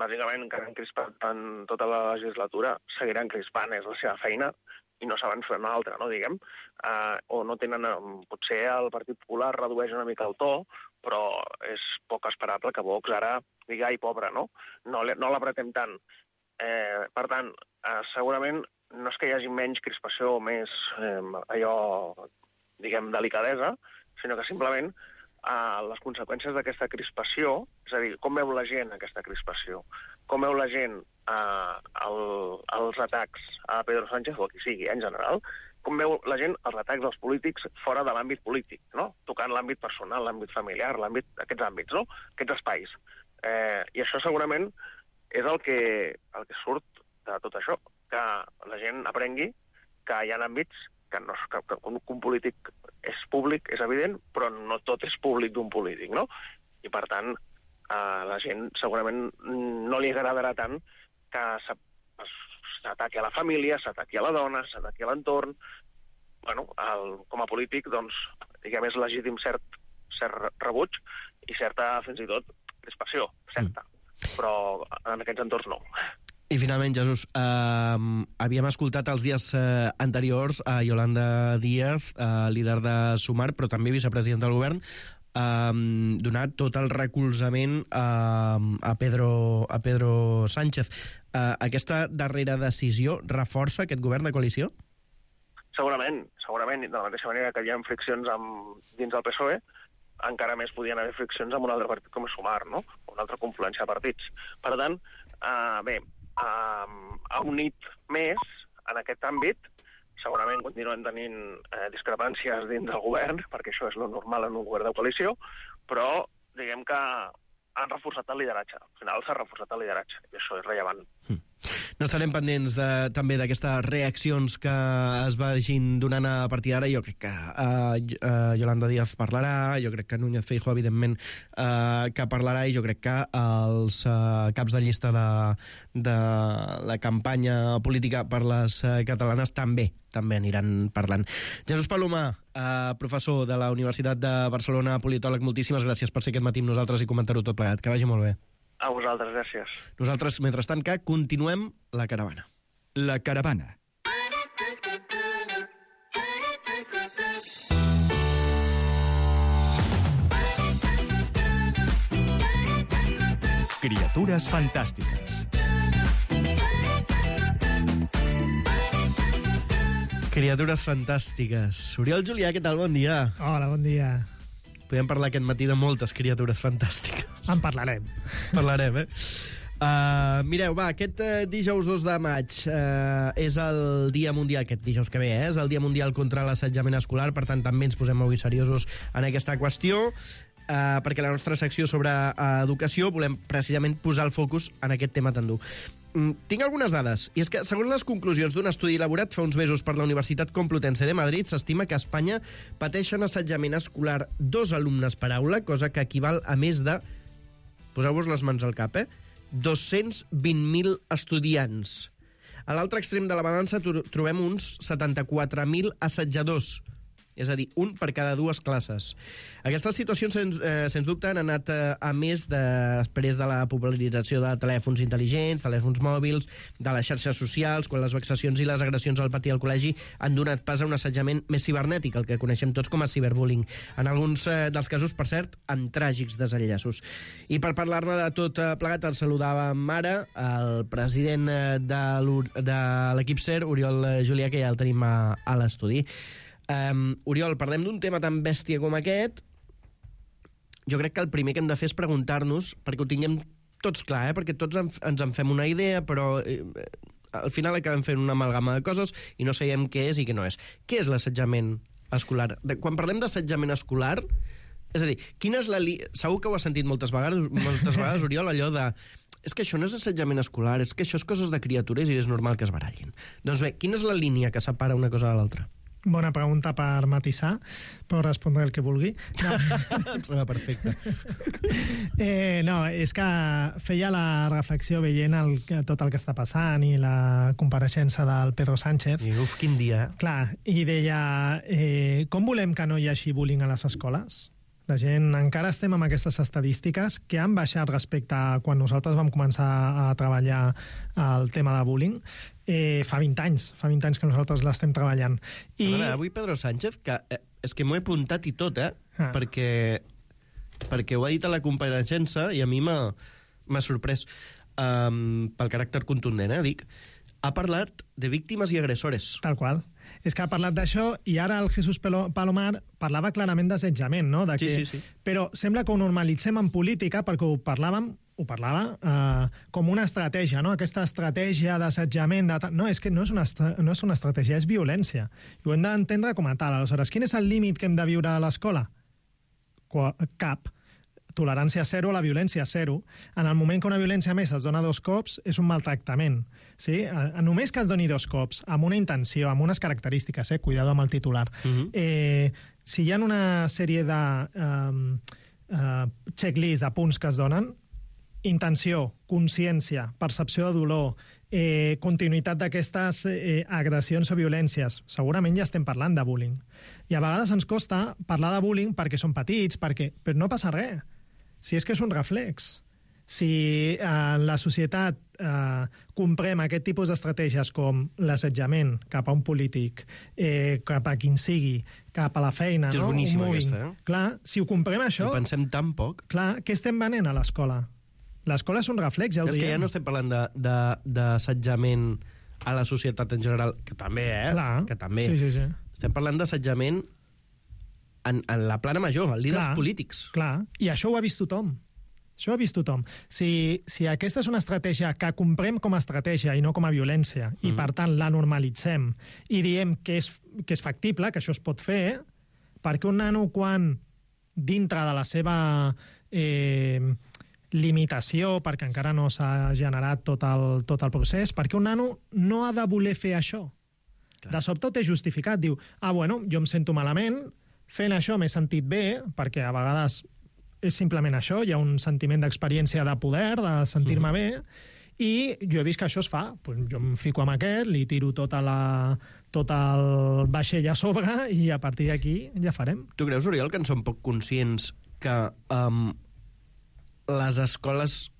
bàsicament, encara han crispat en tota la legislatura, seguiran crispant, és la seva feina, i no saben fer una altra, no, diguem. O no tenen... Potser el Partit Popular redueix una mica el to, però és poc esperable que Vox ara digui, ai, pobre, no? No l'apretem tant. Per tant, segurament no és que hi hagi menys crispació o més delicadesa, sinó que simplement les conseqüències d'aquesta crispació, és a dir, com veu la gent aquesta crispació, com veu la gent els atacs a Pedro Sánchez, o a qui sigui, en general, com veu la gent els atacs dels polítics fora de l'àmbit polític, no? Tocant l'àmbit personal, l'àmbit familiar, aquests àmbits, no? Aquests espais. I això segurament és el que surt de tot això, que la gent aprengui que hi ha àmbits que un polític és públic, és evident, però no tot és públic d'un polític, no? I, per tant, a la gent segurament no li agradarà tant que s'ataqui a la família, s'ataqui a la dona, s'ataqui a l'entorn. Bueno, com a polític, doncs, diguem, és legítim cert rebuig i certa, fins i tot, crispació, certa. Però en aquests entorns no. I finalment, Jesús, havíem escoltat els dies anteriors a Yolanda Díaz, líder de Sumar, però també vicepresident del govern, donar tot el recolzament a Pedro Sánchez. Aquesta darrera decisió reforça aquest govern de coalició? Segurament. De la mateixa manera que hi ha friccions dins del PSOE, encara més podien haver friccions amb un altre partit com Sumar, no? Una altra confluència de partits. Per tant, ha unit més en aquest àmbit, segurament continuem tenint discrepàncies dins del govern, perquè això és lo normal en un govern de coalició, però diguem que han reforçat el lideratge. Al final s'ha reforçat el lideratge, i això és rellevant. N'estarem pendents també d'aquestes reaccions que es vagin donant a partir d'ara. Jo crec que Yolanda Díaz parlarà, jo crec que Núñez Feijóo, evidentment, que parlarà, i jo crec que els caps de llista de la campanya política per les catalanes també aniran parlant. Jesús Palomar, professor de la Universitat de Barcelona, politòleg, moltíssimes gràcies per ser aquest matí amb nosaltres i comentar-ho tot plegat. Que vagi molt bé. A vosaltres, gràcies. Nosaltres, mentrestant, que continuem la caravana. La caravana. Criatures fantàstiques. Criatures fantàstiques. Oriol Julià, què tal? Bon dia. Hola, bon dia. Podem parlar aquest matí de moltes criatures fantàstiques. En parlarem. Parlarem, mireu, va, aquest dijous 2 de maig és el Dia Mundial, aquest dijous que ve, és el Dia Mundial contra l'assetjament escolar, per tant també ens posem avui seriosos en aquesta qüestió, perquè la nostra secció sobre educació volem precisament posar el focus en aquest tema tan dur. Tinc algunes dades, i és que, segons les conclusions d'un estudi elaborat fa uns mesos per la Universitat Complutense de Madrid, s'estima que a Espanya pateixen assetjament escolar 2 alumnes per aula, cosa que equival a més de, poseu-vos les mans al cap, 220.000 estudiants. A l'altre extrem de la balança trobem uns 74.000 assetjadors, és a dir, un per cada 2 classes. Aquestes situacions, sens dubte, han anat a més després de la popularització de telèfons intel·ligents, telèfons mòbils, de les xarxes socials, quan les vexacions i les agressions al pati al col·legi han donat pas a un assetjament més cibernètic, el que coneixem tots com a ciberbullying. En alguns dels casos, per cert, amb tràgics desenllaços. I per parlar-ne de tot plegat, el saludàvem ara, el president de l'equip SER, Oriol Julià, que ja el tenim a l'estudi. Oriol, parlem d'un tema tan bèstia com aquest. Jo crec que el primer que hem de fer és preguntar-nos, perquè ho tinguem tots clar, perquè tots ens en fem una idea, però al final acabem fent una amalgama de coses i no sabem què és i què no és. Què és l'assetjament escolar? Quan parlem d'assetjament escolar, és a dir, quina és la segur que ho has sentit moltes vegades, Oriol, allò de és que això no és assetjament escolar, és que això és coses de criatures i és normal que es barallin. Doncs bé, quina és la línia que separa una cosa de l'altra? Bona pregunta per matisar, però respondré el que vulgui. No. Em sembla perfecte. No, és que feia la reflexió veient tot el que està passant i la compareixença del Pedro Sánchez. I uf, quin dia. Clar, i deia, com volem que no hi hagi bullying a les escoles? La gent, encara estem amb aquestes estadístiques que han baixat respecte a quan nosaltres vam començar a treballar el tema de bullying. Fa 20 anys que nosaltres l'estem treballant. Avui Pedro Sánchez, que és que m'ho he apuntat i tot, perquè ho ha dit a la compareixença i a mi m'ha sorprès pel caràcter contundent, dic. Ha parlat de víctimes i agressores. Tal qual. És que ha parlat d'això i ara el Jesús Palomar parlava clarament d'assetjament, no? Sí. Però sembla que ho normalitzem en política perquè ho parlava com una estratègia, no? Aquesta estratègia d'assetjament... No, és que no és una estratègia, és violència. I ho hem d'entendre com a tal. Aleshores, quin és el límit que hem de viure a l'escola? Cap. Tolerància zero a la violència zero. En el moment que una violència més es dona 2 cops, és un maltractament. Sí? Només que es doni 2 cops, amb una intenció, amb unes característiques, cuidado amb el titular. Si hi ha una sèrie de checklist de punts que es donen, intenció, consciència, percepció de dolor, continuïtat d'aquestes agressions o violències, segurament ja estem parlant de bullying. I a vegades ens costa parlar de bullying perquè són petits, però no passa res. Si és que és un reflex. Si en la societat comprem aquest tipus d'estratègies com l'assetjament cap a un polític, cap a quin sigui, cap a la feina... És boníssima aquesta, Clar, si ho comprem això... I pensem tan poc. Clar, què estem venent a l'escola? L'escola és un reflex, ja ho diem. És que ja no estem parlant d'assetjament a la societat en general, que també, Clar. Que també. Sí. Estem parlant d'assetjament en la plana major, en líders polítics. Clar, i això ho ha vist tothom. Això ho ha vist tothom. Si aquesta és una estratègia que comprem com a estratègia i no com a violència, i per tant la normalitzem i diem que és factible, que això es pot fer, perquè un nano quan dintre de la seva limitació, perquè encara no s'ha generat tot el procés, perquè un nano no ha de voler fer això. De sobte ho té justificat, diu, bueno, jo em sento malament, fent això m'he sentit bé, perquè a vegades és simplement això, hi ha un sentiment d'experiència de poder, de sentir-me bé, i jo he vist que això es fa. Pues jo em fico amb aquest, li tiro tot el vaixell a sobre i a partir d'aquí ja farem. Tu creus, Oriol, que en som poc conscients que les escoles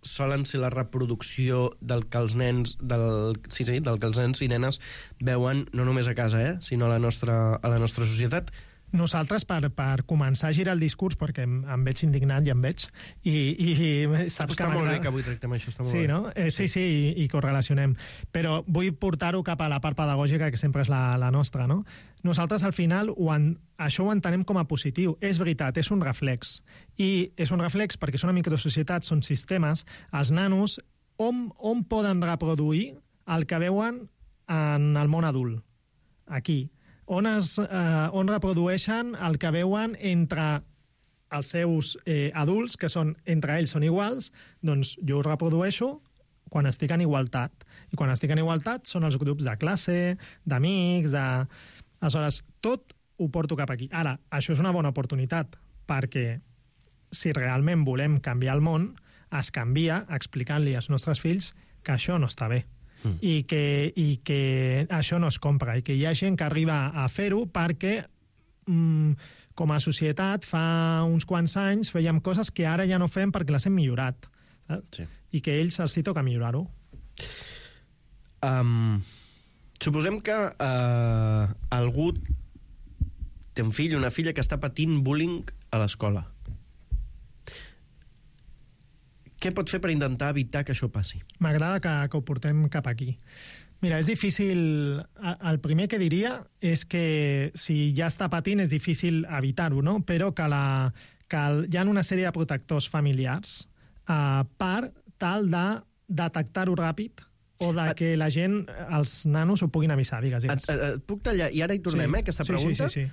solen ser la reproducció del que els nens del que els nens i nenes veuen no només a casa, sinó a la nostra societat? Nosaltres, per començar a girar el discurs, perquè em veig indignat, ja em veig, i saps està molt bé que avui tractem això, està molt bé. No? Sí, i correlacionem. Però vull portar-ho cap a la part pedagògica, que sempre és la nostra, no? Nosaltres, al final, això ho entenem com a positiu. És veritat, és un reflex. I és un reflex perquè és una microsocietat, són sistemes. Els nanos, on poden reproduir el que veuen en el món adult? Aquí. On reprodueixen el que veuen entre els seus adults, que entre ells són iguals, doncs jo ho reprodueixo quan estic en igualtat. I quan estic en igualtat són els grups de classe, d'amics, Aleshores, tot ho porto cap aquí. Ara, això és una bona oportunitat, perquè si realment volem canviar el món, es canvia explicant-li als nostres fills que això no està bé. I que això no es compra, i que hi ha gent que arriba a fer-ho perquè com a societat fa uns quants anys fèiem coses que ara ja no fem perquè les hem millorat, saps? Sí. I que ells els toca millorar-ho. Suposem que algú té un fill, una filla que està patint bullying a l'escola. Què pot fer per intentar evitar que això passi? M'agrada que ho portem cap aquí. Mira, és difícil... El primer que diria és que si ja està patint és difícil evitar-ho, no? Però que hi ha una sèrie de protectors familiars per tal de detectar-ho ràpid o de que la gent, els nanos, ho puguin avisar. Digues. Et puc tallar? I ara hi tornem, aquesta pregunta? Sí.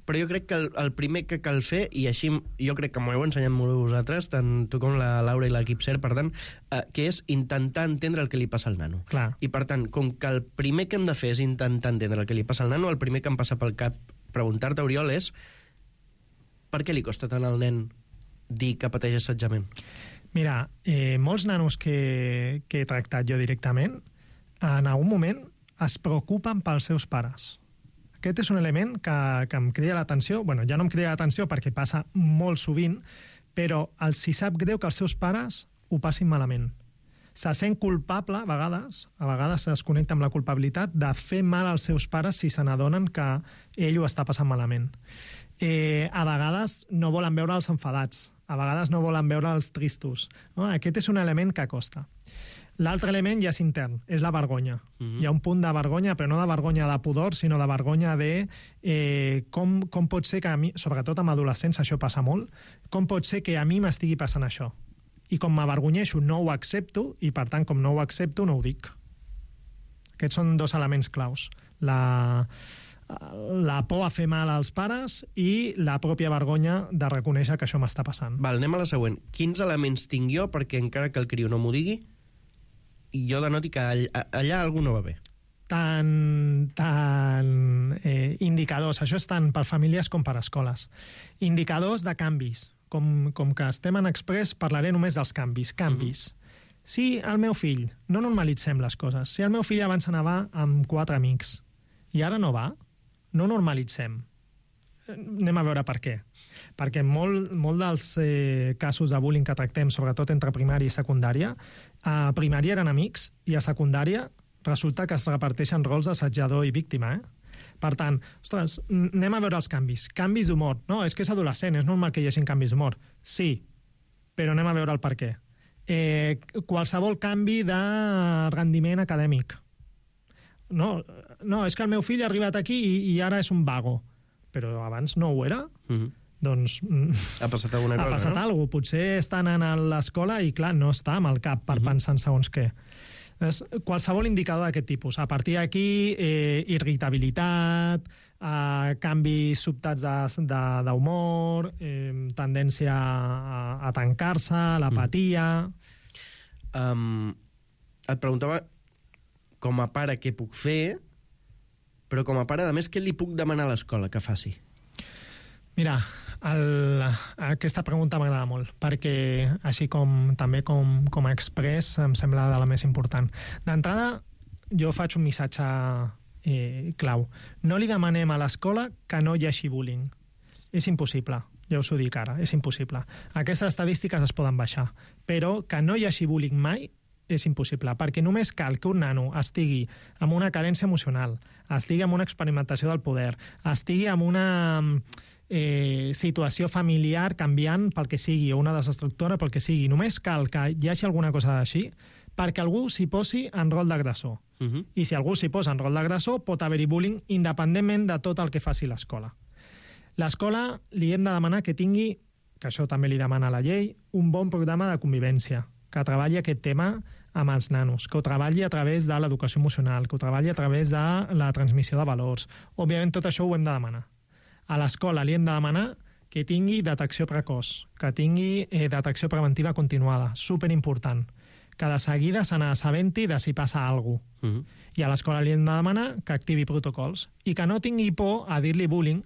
Però jo crec que el primer que cal fer, i així jo crec que m'ho heu ensenyat molt bé vosaltres, tant tu com la Laura i l'equip CER, per tant, que és intentar entendre el que li passa al nano. Clar. I per tant, com que el primer que hem de fer és intentar entendre el que li passa al nano, el primer que em passa pel cap preguntar-te, Oriol, és per què li costa tant al nen dir que pateix assetjament? Mira, molts nanos que he tractat jo directament, en algun moment es preocupen pels seus pares. Aquest és un element que em crida l'atenció. Bueno, ja no em crida l'atenció perquè passa molt sovint, però els hi sap greu que els seus pares ho passin malament. Se sent culpable, a vegades es connecta amb la culpabilitat de fer mal als seus pares si se n'adonen que ell ho està passant malament. A vegades no volen veure els enfadats, a vegades no volen veure els tristos. No? Aquest és un element que costa. L'altre element ja és intern, és la vergonya. Hi ha un punt de vergonya, però no de vergonya de pudor, sinó de vergonya de com pot ser que a mi, sobretot amb adolescents això passa molt, com pot ser que a mi m'estigui passant això. I com m'avergonyeixo no ho accepto, i per tant com no ho accepto no ho dic. Aquests són dos elements claus. La por a fer mal als pares i la pròpia vergonya de reconèixer que això m'està passant. Val, anem a la següent. Quins elements tinc jo perquè encara que el criu no m'ho digui, jo denoti que allà algú no va bé? Indicadors, això és tant per famílies com per escoles. Indicadors de canvis. Com que estem en Express, parlaré només dels canvis. Si el meu fill, no normalitzem les coses, si el meu fill abans anava amb 4 amics i ara no va, no normalitzem. Anem a veure per què. Perquè molt dels casos de bullying que tractem, sobretot entre primària i secundària, a primària eren amics i a secundària resulta que es reparteixen rols d'assetjador i víctima. Per tant, ostres, anem a veure els canvis. Canvis d'humor. No, és que és adolescent, és normal que hi hagi canvis d'humor. Sí, però anem a veure el per què. Qualsevol canvi de rendiment acadèmic. No, és que el meu fill ha arribat aquí i ara és un vago. Però abans no ho era. doncs ha passat alguna cosa, ha passat alguna cosa. Potser estan a l'escola i, clar, no està amb el cap per pensar en segons què. Qualsevol indicador d'aquest tipus. A partir d'aquí, irritabilitat, canvis sobtats d'humor, tendència a tancar-se, l'apatia... Et preguntava com a pare què puc fer, però com a pare, a més, què li puc demanar a l'escola que faci? Mira, aquesta pregunta m'agrada molt, perquè així també com a express em sembla de la més important. D'entrada, jo faig un missatge clau. No li demanem a l'escola que no hi hagi bullying. És impossible, ja us ho dic ara, és impossible. Aquestes estadístiques es poden baixar, però que no hi hagi bullying mai és impossible, perquè només cal que un nano estigui amb una carència emocional, estigui amb una experimentació del poder, estigui amb una situació familiar canviant pel que sigui, o una desestructura pel que sigui. Només cal que hi hagi alguna cosa així perquè algú s'hi posi en rol d'agressor. I si algú s'hi posa en rol d'agressor, pot haver-hi bullying independentment de tot el que faci l'escola. L'escola li hem de demanar que tingui, que això també li demana la llei, un bon programa de convivència, que treballi aquest tema amb els nanos, que ho treballi a través de l'educació emocional, que ho treballi a través de la transmissió de valors. Òbviament, tot això ho hem de demanar. A l'escola li hem de demanar que tingui detecció precoç, que tingui detecció preventiva continuada, superimportant, que de seguida se n'assabenti de si passa alguna cosa. I a l'escola li hem de demanar que activi protocols i que no tingui por a dir-li bullying,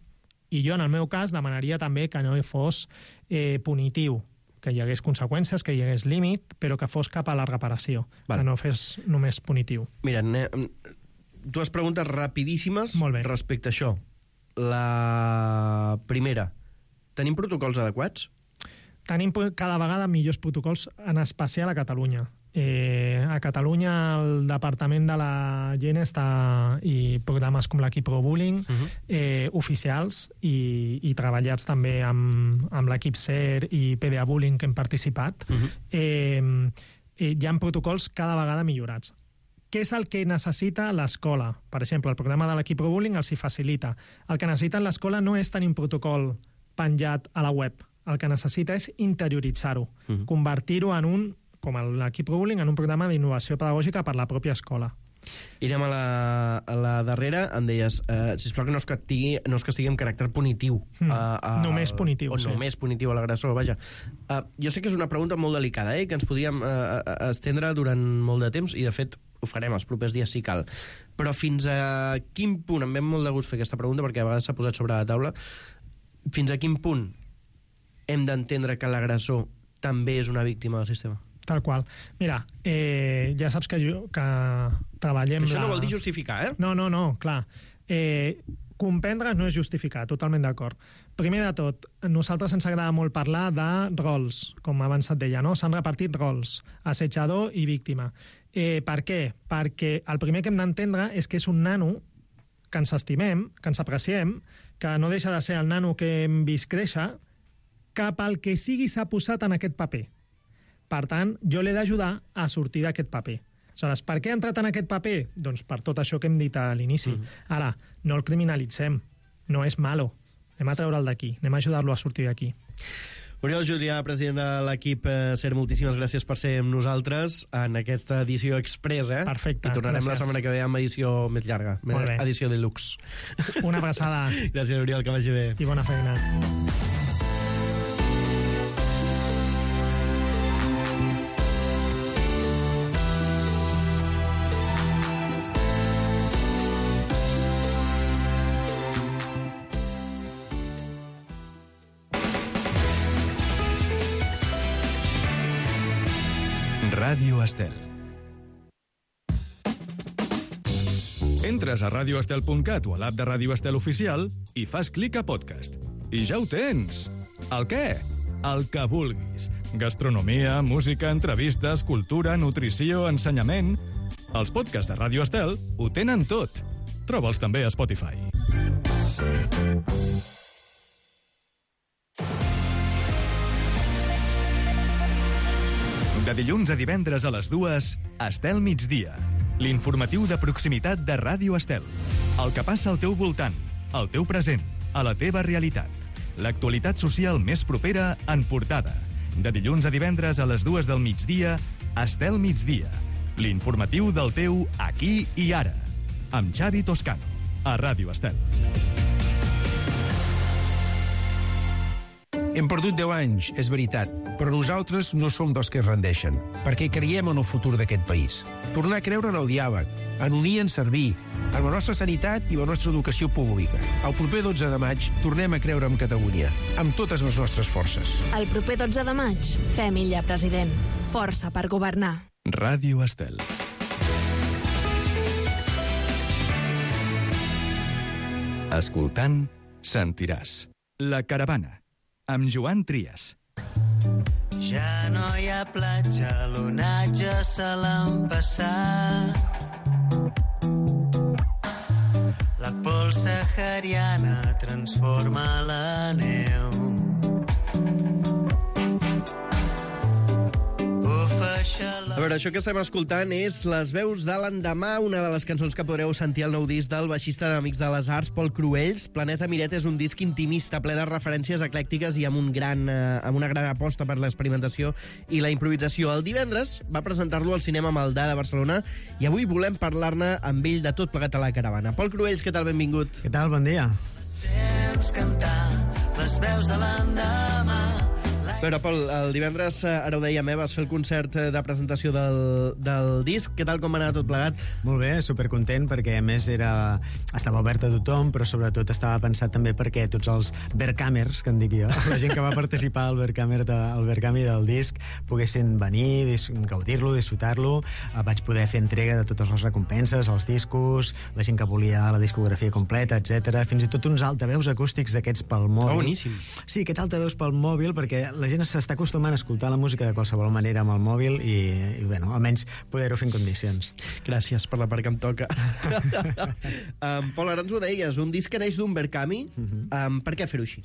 i jo, en el meu cas, demanaria també que no fos punitiu, que hi hagués conseqüències, que hi hagués límit, però que fos cap a la reparació, que no fos només punitiu. Mira, dues preguntes rapidíssimes respecte a això. La primera, tenim protocols adequats? Tenim cada vegada millors protocols, en especial a Catalunya. A Catalunya el Departament de la Gent i programes com l'equip Pro-Bullying oficials i treballats també amb l'equip SER i PDA Bullying que hem participat. Hi ha protocols cada vegada millorats. Què és el que necessita l'escola? Per exemple, el programa de l'equip Pro-Bullying els hi facilita. El que necessita l'escola no és tenir un protocol penjat a la web. El que necessita és interioritzar-ho, convertir-ho en com l'equip Pro-Bullying, en un programa d'innovació pedagògica per la pròpia escola. I anem a la darrera, em deies, sisplau que no es castigui amb caràcter punitiu. Només punitiu, sí. O només punitiu a l'agressor, vaja. Jo sé que és una pregunta molt delicada, que ens podíem estendre durant molt de temps, i de fet ho farem els propers dies si cal. Però fins a quin punt, em ve molt de gust fer aquesta pregunta, perquè a vegades s'ha posat sobre la taula, fins a quin punt hem d'entendre que l'agressor també és una víctima del sistema? Tal qual. Mira, ja saps que treballem... Això no vol dir justificar, No, clar. Comprendre's no és justificar, totalment d'acord. Primer de tot, a nosaltres ens agrada molt parlar de rols, com abans et deia, no? S'han repartit rols, assetjador i víctima. Per què? Perquè el primer que hem d'entendre és que és un nano que ens estimem, que ens apreciem, que no deixa de ser el nano que hem vist créixer, cap al que sigui s'ha posat en aquest paper. Per tant, jo l'he d'ajudar a sortir d'aquest paper. Aleshores, per què ha entrat en aquest paper? Doncs per tot això que hem dit a l'inici. Ara, no el criminalitzem, no és malo. Anem a treure'l d'aquí, anem a ajudar-lo a sortir d'aquí. Oriol Julià, president de l'equip SER, moltíssimes gràcies per ser amb nosaltres en aquesta edició express, Perfecte, I tornarem gràcies. la setmana que ve amb edició més llarga, edició deluxe. Una abraçada. Gràcies, Oriol, que vagi bé. I bona feina. Ràdio Estel. Entres a radioestel.cat o a l'app de Ràdio Estel oficial i fas clic a podcast. I ja ho tens! El què? El que vulguis. Gastronomia, música, entrevistes, cultura, nutrició, ensenyament... Els podcasts de Ràdio Estel ho tenen tot. Troba'ls també a Spotify. De dilluns a divendres a les 2, Estel Migdia. L'informatiu de proximitat de Ràdio Estel. El que passa al teu voltant, al teu present, a la teva realitat. L'actualitat social més propera en portada. De dilluns a divendres a les 2 del migdia, Estel Migdia. L'informatiu del teu aquí i ara. Amb Xavi Toscano, a Ràdio Estel. Hem perdut 10 anys, és veritat, però nosaltres no som dels que es rendeixen, perquè creiem en el futur d'aquest país. Tornar a creure en el diàleg, en unir i en servir, en la nostra sanitat i la nostra educació pública. El proper 12 de maig tornem a creure en Catalunya, amb totes les nostres forces. El proper 12 de maig, fem Illa president. Força per governar. Ràdio Estel. Escoltant, sentiràs. La caravana, amb Joan Trias. Ja no hi ha platja, l'onatge se l'han passat. La pols sahariana transforma la neu. A veure, això que estem escoltant és Les veus de l'endemà, una de les cançons que podreu sentir al nou disc del baixista d'Amics de les Arts, Pol Cruells. Planeta Miret és un disc intimista, ple de referències eclèctiques i amb una gran aposta per l'experimentació i la improvisació. El divendres va presentar-lo al cinema Maldà de Barcelona i avui volem parlar-ne amb ell de tot plegat a la caravana. Pol Cruells, què tal? Benvingut. Què tal? Bon dia. Sents cantar les veus de l'endemà. A veure, Pol, el divendres, ara ho dèiem, vas fer el concert de presentació del disc. Què tal, com va anar tot plegat? Molt bé, supercontent, perquè a més estava obert a tothom, però sobretot estava pensat també perquè tots els Verkamers, que en dic jo, la gent que va participar al Verkami del disc, poguessin venir, gaudir-lo, disfrutar-lo. Vaig poder fer entrega de totes les recompenses, els discos, la gent que volia la discografia completa, etc. Fins i tot uns altaveus acústics d'aquests pel mòbil. Oh, boníssim. Sí, aquests altaveus pel mòbil, perquè la gent s'està acostumant a escoltar la música de qualsevol manera amb el mòbil i bueno, almenys poder-ho fer en condicions. Gràcies per la part que em toca. Pol, ara ens ho deies, un disc que neix d'un Verkami. Per què fer-ho així?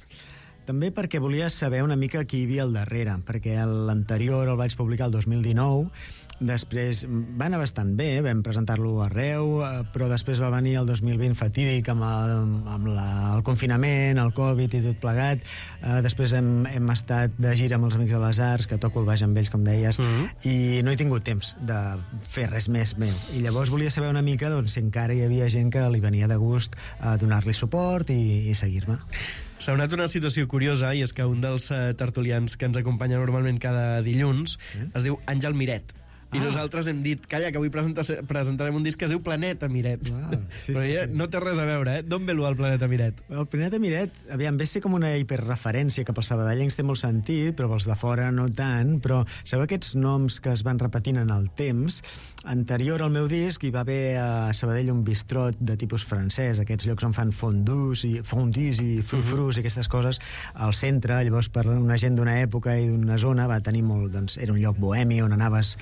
També perquè volia saber una mica qui hi havia al darrere, perquè l'anterior el vaig publicar el 2019, després va anar bastant bé, vam presentar-lo arreu, però després va venir el 2020 fatídic amb el confinament, el Covid i tot plegat. Després hem estat de gira amb els Amics de les Arts, que toco el baix amb ells, com deies, i no he tingut temps de fer res més meu. I llavors volia saber una mica si encara hi havia gent que li venia de gust donar-li suport i seguir-me. S'ha donat una situació curiosa, i és que un dels tertulians que ens acompanya normalment cada dilluns es diu Àngel Miret. I nosaltres hem dit, calla, que avui presentarem un disc que es diu Planeta Miret. Però no té res a veure, D'on ve el Planeta Miret? El Planeta Miret, aviam, ve ser com una hiperreferència cap als sabadellencs, té molt sentit, però pels de fora no tant, però sabeu aquests noms que es van repetint en el temps? Anterior al meu disc hi va haver a Sabadell un bistrot de tipus francès, aquests llocs on fan fondus i frufrus i aquestes coses al centre. Llavors, per una gent d'una època i d'una zona va tenir molt, era un lloc bohemi on anaves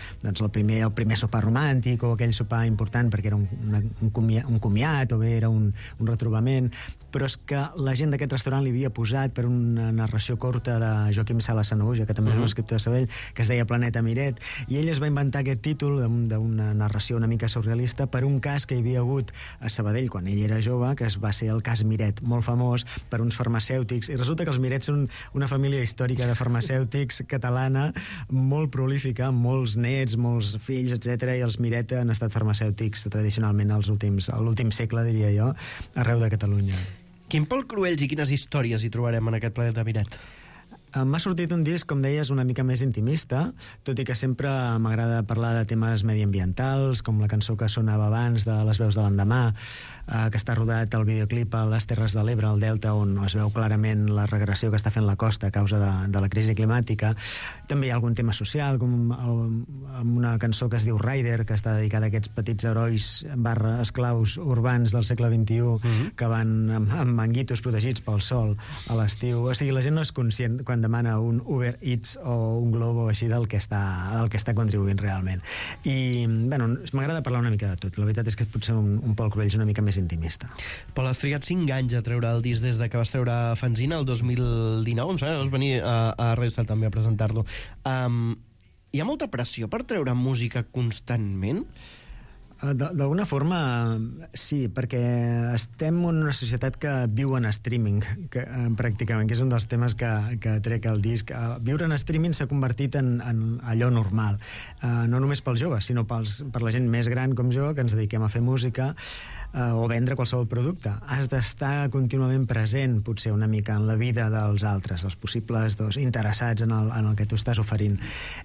el primer sopar romàntic o aquell sopar important perquè era un comiat o bé era un retrobament, però és que la gent d'aquest restaurant li havia posat per una narració curta de Joaquim Sala Sanahuja, que també és un escriptor de Sabadell, que es deia Planeta Miret, i ell es va inventar aquest títol d'una narració una mica surrealista per un cas que hi havia hagut a Sabadell quan ell era jove, que va ser el cas Miret, molt famós per uns farmacèutics, i resulta que els Miret són una família històrica de farmacèutics catalana molt prolífica, amb molts nets, molts fills, etc. I els Miret han estat farmacèutics tradicionalment a l'últim segle, diria jo, arreu de Catalunya. Quin Pol Cruells i quines històries hi trobarem en aquest Planeta Miret? M'ha sortit un disc, com deies, una mica més intimista, tot i que sempre m'agrada parlar de temes mediambientals, com la cançó que sonava abans de Les veus de l'endemà, que està rodat el videoclip a les Terres de l'Ebre, al Delta, on es veu clarament la regressió que està fent la costa a causa de la crisi climàtica. També hi ha algun tema social, com amb una cançó que es diu Rider, que està dedicada a aquests petits herois / esclaus urbans del segle XXI que van amb manguitos protegits pel sol a l'estiu. O sigui, la gent no és conscient quan demana un Uber Eats o un Globo així del que està contribuint realment. I, bueno, m'agrada parlar una mica de tot. La veritat és que potser un Pol Cruells una mica més intimista. Pol, has trigat 5 anys a treure el disc des de que vas treure Fanzina el 2019, em sembla, vas venir a Radio Estel també a presentar-lo. Hi ha molta pressió per treure música constantment? D'alguna forma, sí, perquè estem en una societat que viu en streaming, pràcticament, que és un dels temes que trec al disc. Viure en streaming s'ha convertit en allò normal, no només pels joves, sinó per la gent més gran com jo, que ens dediquem a fer música, o vendre qualsevol producte. Has d'estar contínuament present, potser una mica, en la vida dels altres, els possibles interessats en el que tu estàs oferint.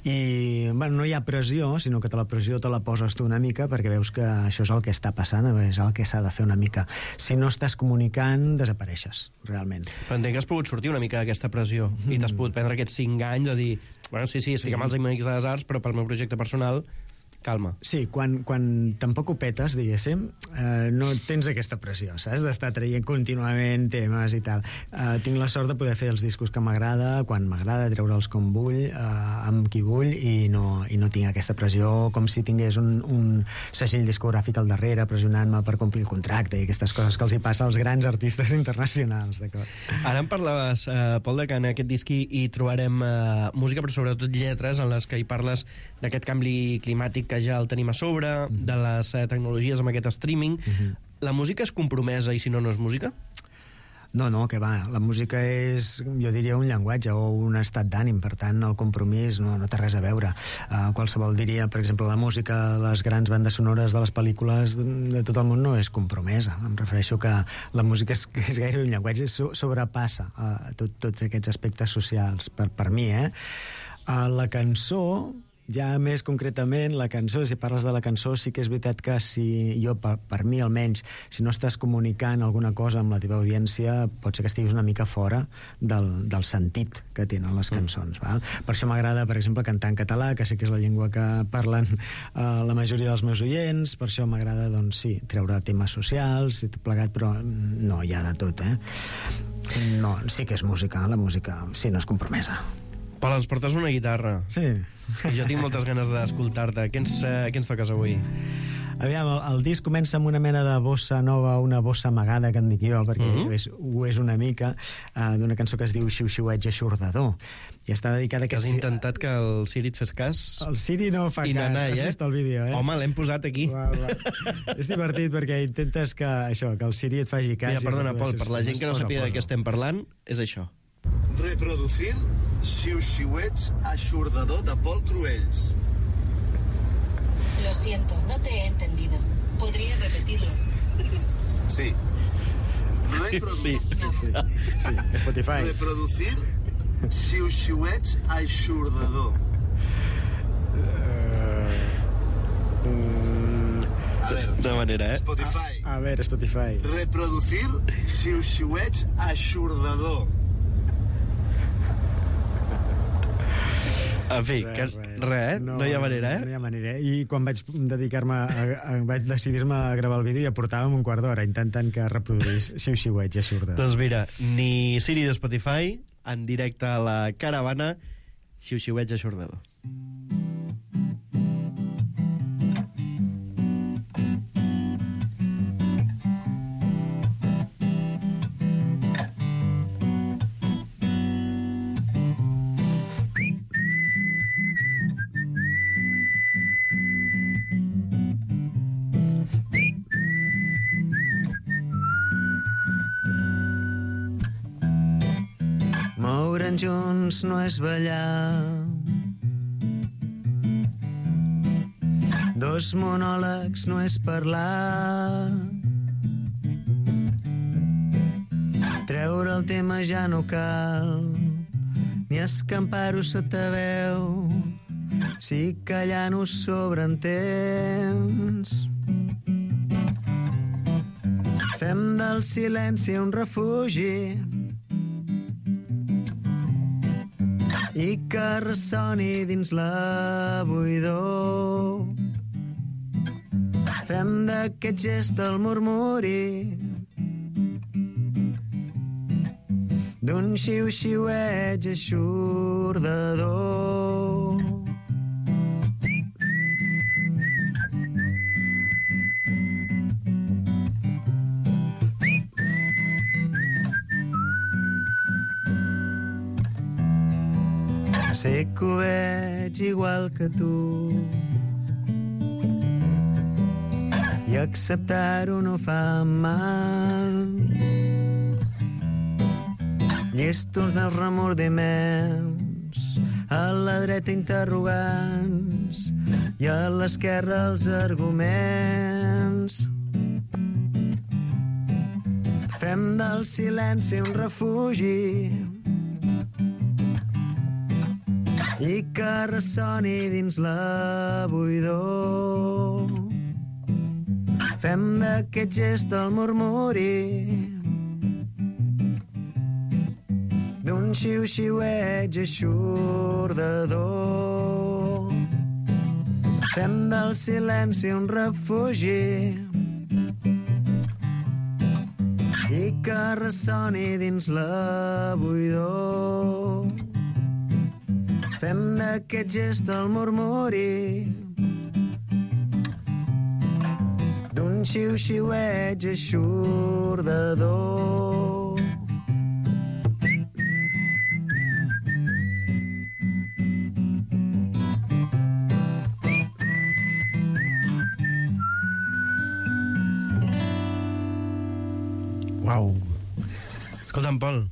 I no hi ha pressió, sinó que la pressió te la poses tu una mica perquè veus que això és el que està passant, és el que s'ha de fer una mica. Si no estàs comunicant, desapareixes, realment. Però entenc que has pogut sortir una mica d'aquesta pressió i t'has pogut prendre aquests 5 anys a dir, bueno, sí, estic amb els Amics de les Arts, però pel meu projecte personal calma. Sí, quan tampoc ho petes, diguéssim, no tens aquesta pressió, saps? D'estar traient contínuament temes i tal. Tinc la sort de poder fer els discos que m'agrada, quan m'agrada, treure'ls com vull, amb qui vull, i no tinc aquesta pressió com si tingués un segell discogràfic al darrere pressionant-me per complir el contracte i aquestes coses que els hi passa als grans artistes internacionals, d'acord? Ara em parlaves, Pol, que en aquest disc hi trobarem música, però sobretot lletres en les que hi parles d'aquest canvi climàtic que ja el tenim a sobre, de les tecnologies amb aquest streaming. La música és compromesa i si no, no és música? No, que va. La música és, jo diria, un llenguatge o un estat d'ànim, per tant, el compromís no té res a veure. Qualsevol diria, per exemple, la música, les grans bandes sonores de les pel·lícules de tot el món no és compromesa. Em refereixo que la música és gairebé un llenguatge, sobrepassa tots aquests aspectes socials, per mi, la cançó, ja més concretament, la cançó, si parles de la cançó, sí que és veritat que si jo, per mi almenys, si no estàs comunicant alguna cosa amb la teva audiència, pot ser que estiguis una mica fora del sentit que tenen les cançons. Val? Per això m'agrada, per exemple, cantar en català, que sé que és la llengua que parlen la majoria dels meus oients, per això m'agrada, doncs sí, treure temes socials i tot plegat, però no hi ha de tot, No, sí que és música, la música, sí, no és compromesa. Pol, ens portes una guitarra. Sí. I jo tinc moltes ganes d'escoltar-te. Què ens toques avui? Aviam, el disc comença amb una mena de bossa nova, una bossa amagada, que en dic jo, perquè ho és una mica, d'una cançó que es diu Xiu-xiueig eixordador. I està dedicada a... Has intentat que el Siri et fes cas? El Siri no fa cas, has vist el vídeo, Home, l'hem posat aquí. És divertit perquè intentes que el Siri et faci cas. Mira, perdona, Pol, per la gent que no sàpiga de què estem parlant, és això. Reproducir xiu-xiueig eixordador de Pol Cruells. Lo siento, no te he entendido. ¿Podría repetirlo? Sí. Sí, Spotify. Reproducir xiu-xiueig eixordador. A ver, de manera, Spotify. A ver, Spotify. Reproducir xiu-xiueig eixordador. En fi, no hi ha manera, No hi ha manera. I quan vaig vaig decidir-me a gravar el vídeo, ja portàvem un quart d'hora intentant que reproduís xiu-xiueig eixordador. Doncs mira, ni Siri de Spotify, en directe a la caravana, xiu-xiueig eixordador. Moure'n junts no és ballar. Dos monòlegs no és parlar. Treure el tema ja no cal, ni escampar-ho sota veu, si callant ho sobreentens. Fem del silenci un refugi i que ressoni dins la buidor. Fem d'aquest gest el murmuri d'un xiu-xiueig eixordador. Sé que ho veig igual que tu. i acceptar-ho no fa mal. Llesto els meus remordiments, a la dreta interrogants i a l'esquerra els arguments. Fem del silenci un refugi i que ressoni dins la buidor. Fem d'aquest gest el murmuri d'un xiu-xiueig eixordador. Fem del silenci un refugi i que ressoni dins la buidor. Fem d'aquest gest el murmuri d'un xiu-xiueig eixordador. Uau. Escolta'm, Pol,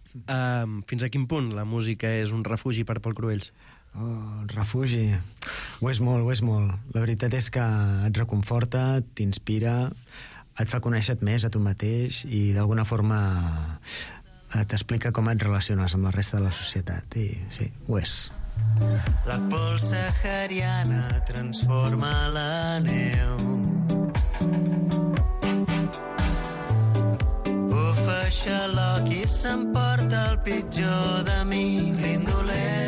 fins a quin punt la música és un refugi per Pol Cruells? Oh, refugi. Ho és molt, ho és molt. La veritat és que et reconforta, t'inspira, et fa conèixer més a tu mateix i d'alguna forma t'explica com et relaciones amb la resta de la societat. I sí, ho és. La pols sahariana transforma la neu. Bufa xaloc i s'emporta el pitjor de mi, l'indolent.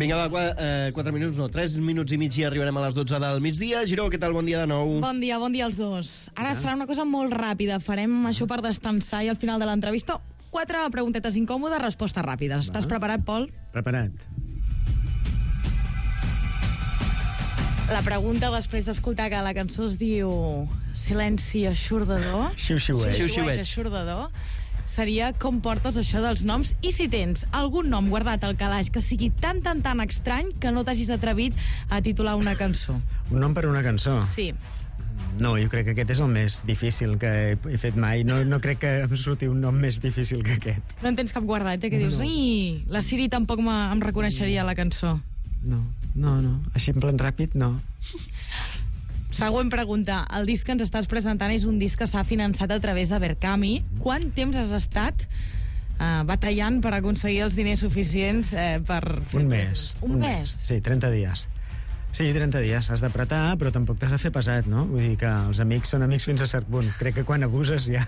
Vinga, va, 4 minuts, no, 3 minuts i mig i arribarem a les 12 del migdia. Giró, què tal? Bon dia de nou. Bon dia als dos. Ara serà una cosa molt ràpida. Farem això per destensar i al final de l'entrevista 4 preguntetes incòmodes, respostes ràpides. Estàs preparat, Pol? Preparat. La pregunta, després d'escoltar que la cançó es diu Silenci eixordador, Xiu-xiueig eixordador, seria com portes això dels noms i si tens algun nom guardat al calaix que sigui tan estrany que no t'hagis atrevit a titular una cançó. Un nom per una cançó? Sí. No, jo crec que aquest és el més difícil que he fet mai. No crec que em surti un nom més difícil que aquest. No en tens cap guardat, que dius, ai, la Siri tampoc em reconeixeria la cançó. No. Així en plan ràpid, no. Següent pregunta. El disc que ens estàs presentant és un disc que s'ha finançat a través de Berkami. Quant temps has estat batallant per aconseguir els diners suficients per... Un mes. Un mes? Sí, 30 dies. Sí, 30 dies. Has d'apretar, però tampoc t'has de fer pesat, no? Vull dir que els amics són amics fins a cert punt. Crec que quan abuses ja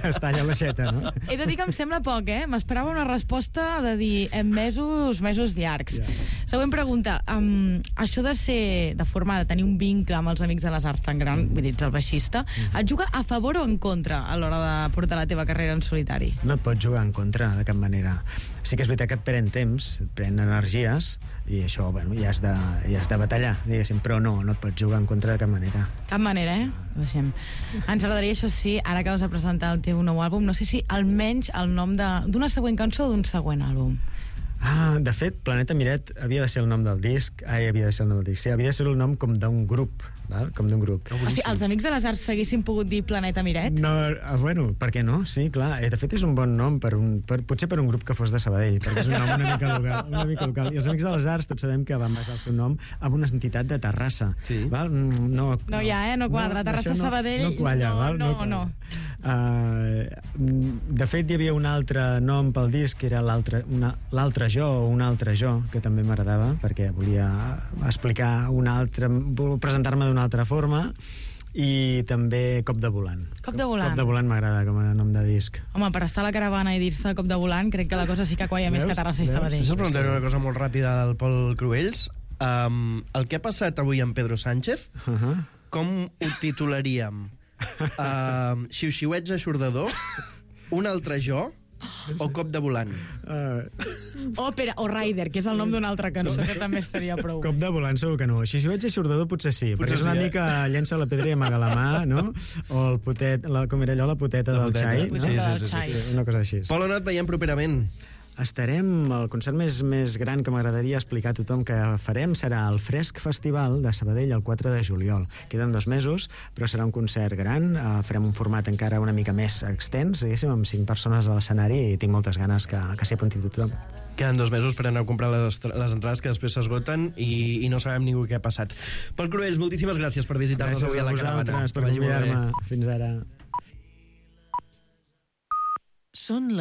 es talla l'aixeta, no? He de dir que em sembla poc, eh? M'esperava una resposta de dir en mesos llargs. Yeah. Següent pregunta. Això de tenir un vincle amb els amics de les arts tan gran, vull dir, ets el baixista, et juga a favor o en contra a l'hora de portar la teva carrera en solitari? No et pots jugar en contra, de cap manera. Sí que és veritat que et pren temps, et pren energies, i això, bueno, ja has de batallar, diguéssim, però no et pots jugar en contra de cap manera. Cap manera, eh? Deixem. Ens agradaria, això sí, ara que vas a presentar el teu nou àlbum, no sé si almenys el nom d'una següent cançó o d'un següent àlbum. De fet, Planeta Miret havia de ser el nom del disc, havia de ser el nom com d'un grup, val? Com d'un grup. O sigui, els Amics de les Arts s'haguessin pogut dir Planeta Miret? No, bueno, per què no? Sí, clar. De fet, és un bon nom potser per un grup que fos de Sabadell, perquè és un nom una mica local. I els Amics de les Arts tots sabem que van basar el seu nom en una entitat de Terrassa. Sí. Val? No quadra. Terrassa, Sabadell... No qualla, val? No. De fet, hi havia un altre nom pel disc, que era l'altre jo, o un altre jo, que també m'agradava, perquè volia explicar presentar-me d'una altra forma, i també Cop de volant. Cop de volant. Cop de volant m'agrada com a nom de disc. Home, per estar a la caravana i dir-se Cop de volant, crec que la cosa sí que qualla més que Terrassa i Sabadell. Us preguntaré una cosa molt ràpida del Pol Cruells. El que ha passat avui amb Pedro Sánchez, com ho titularíem? Xiu-xiueig eixordador, un altre jo, o Cop de volant? Òpera o Rider, que és el nom d'una altra cançó que també estaria prou. Cop de volant segur que no. Xiu-xiueig eixordador potser sí, perquè és una mica llença la pedra i amaga la mà, no? O el potet, com era allò, la poteta del xai, no? Sí, una cosa així. Pol, on et veiem properament? El concert més gran que m'agradaria explicar a tothom que farem serà el Fresc Festival de Sabadell el 4 de juliol. Queden 2 mesos, però serà un concert gran. Farem un format encara una mica més extens, diguéssim, amb 5 persones a l'escenari, i tinc moltes ganes que s'hi apunti tothom. Queden 2 mesos per anar a comprar les entrades que després s'esgoten i no sabem ningú què ha passat. Pol Cruells, moltíssimes gràcies per visitar-nos avui a la caravana. Gràcies a vosaltres per convidar-me. Fins ara. Són les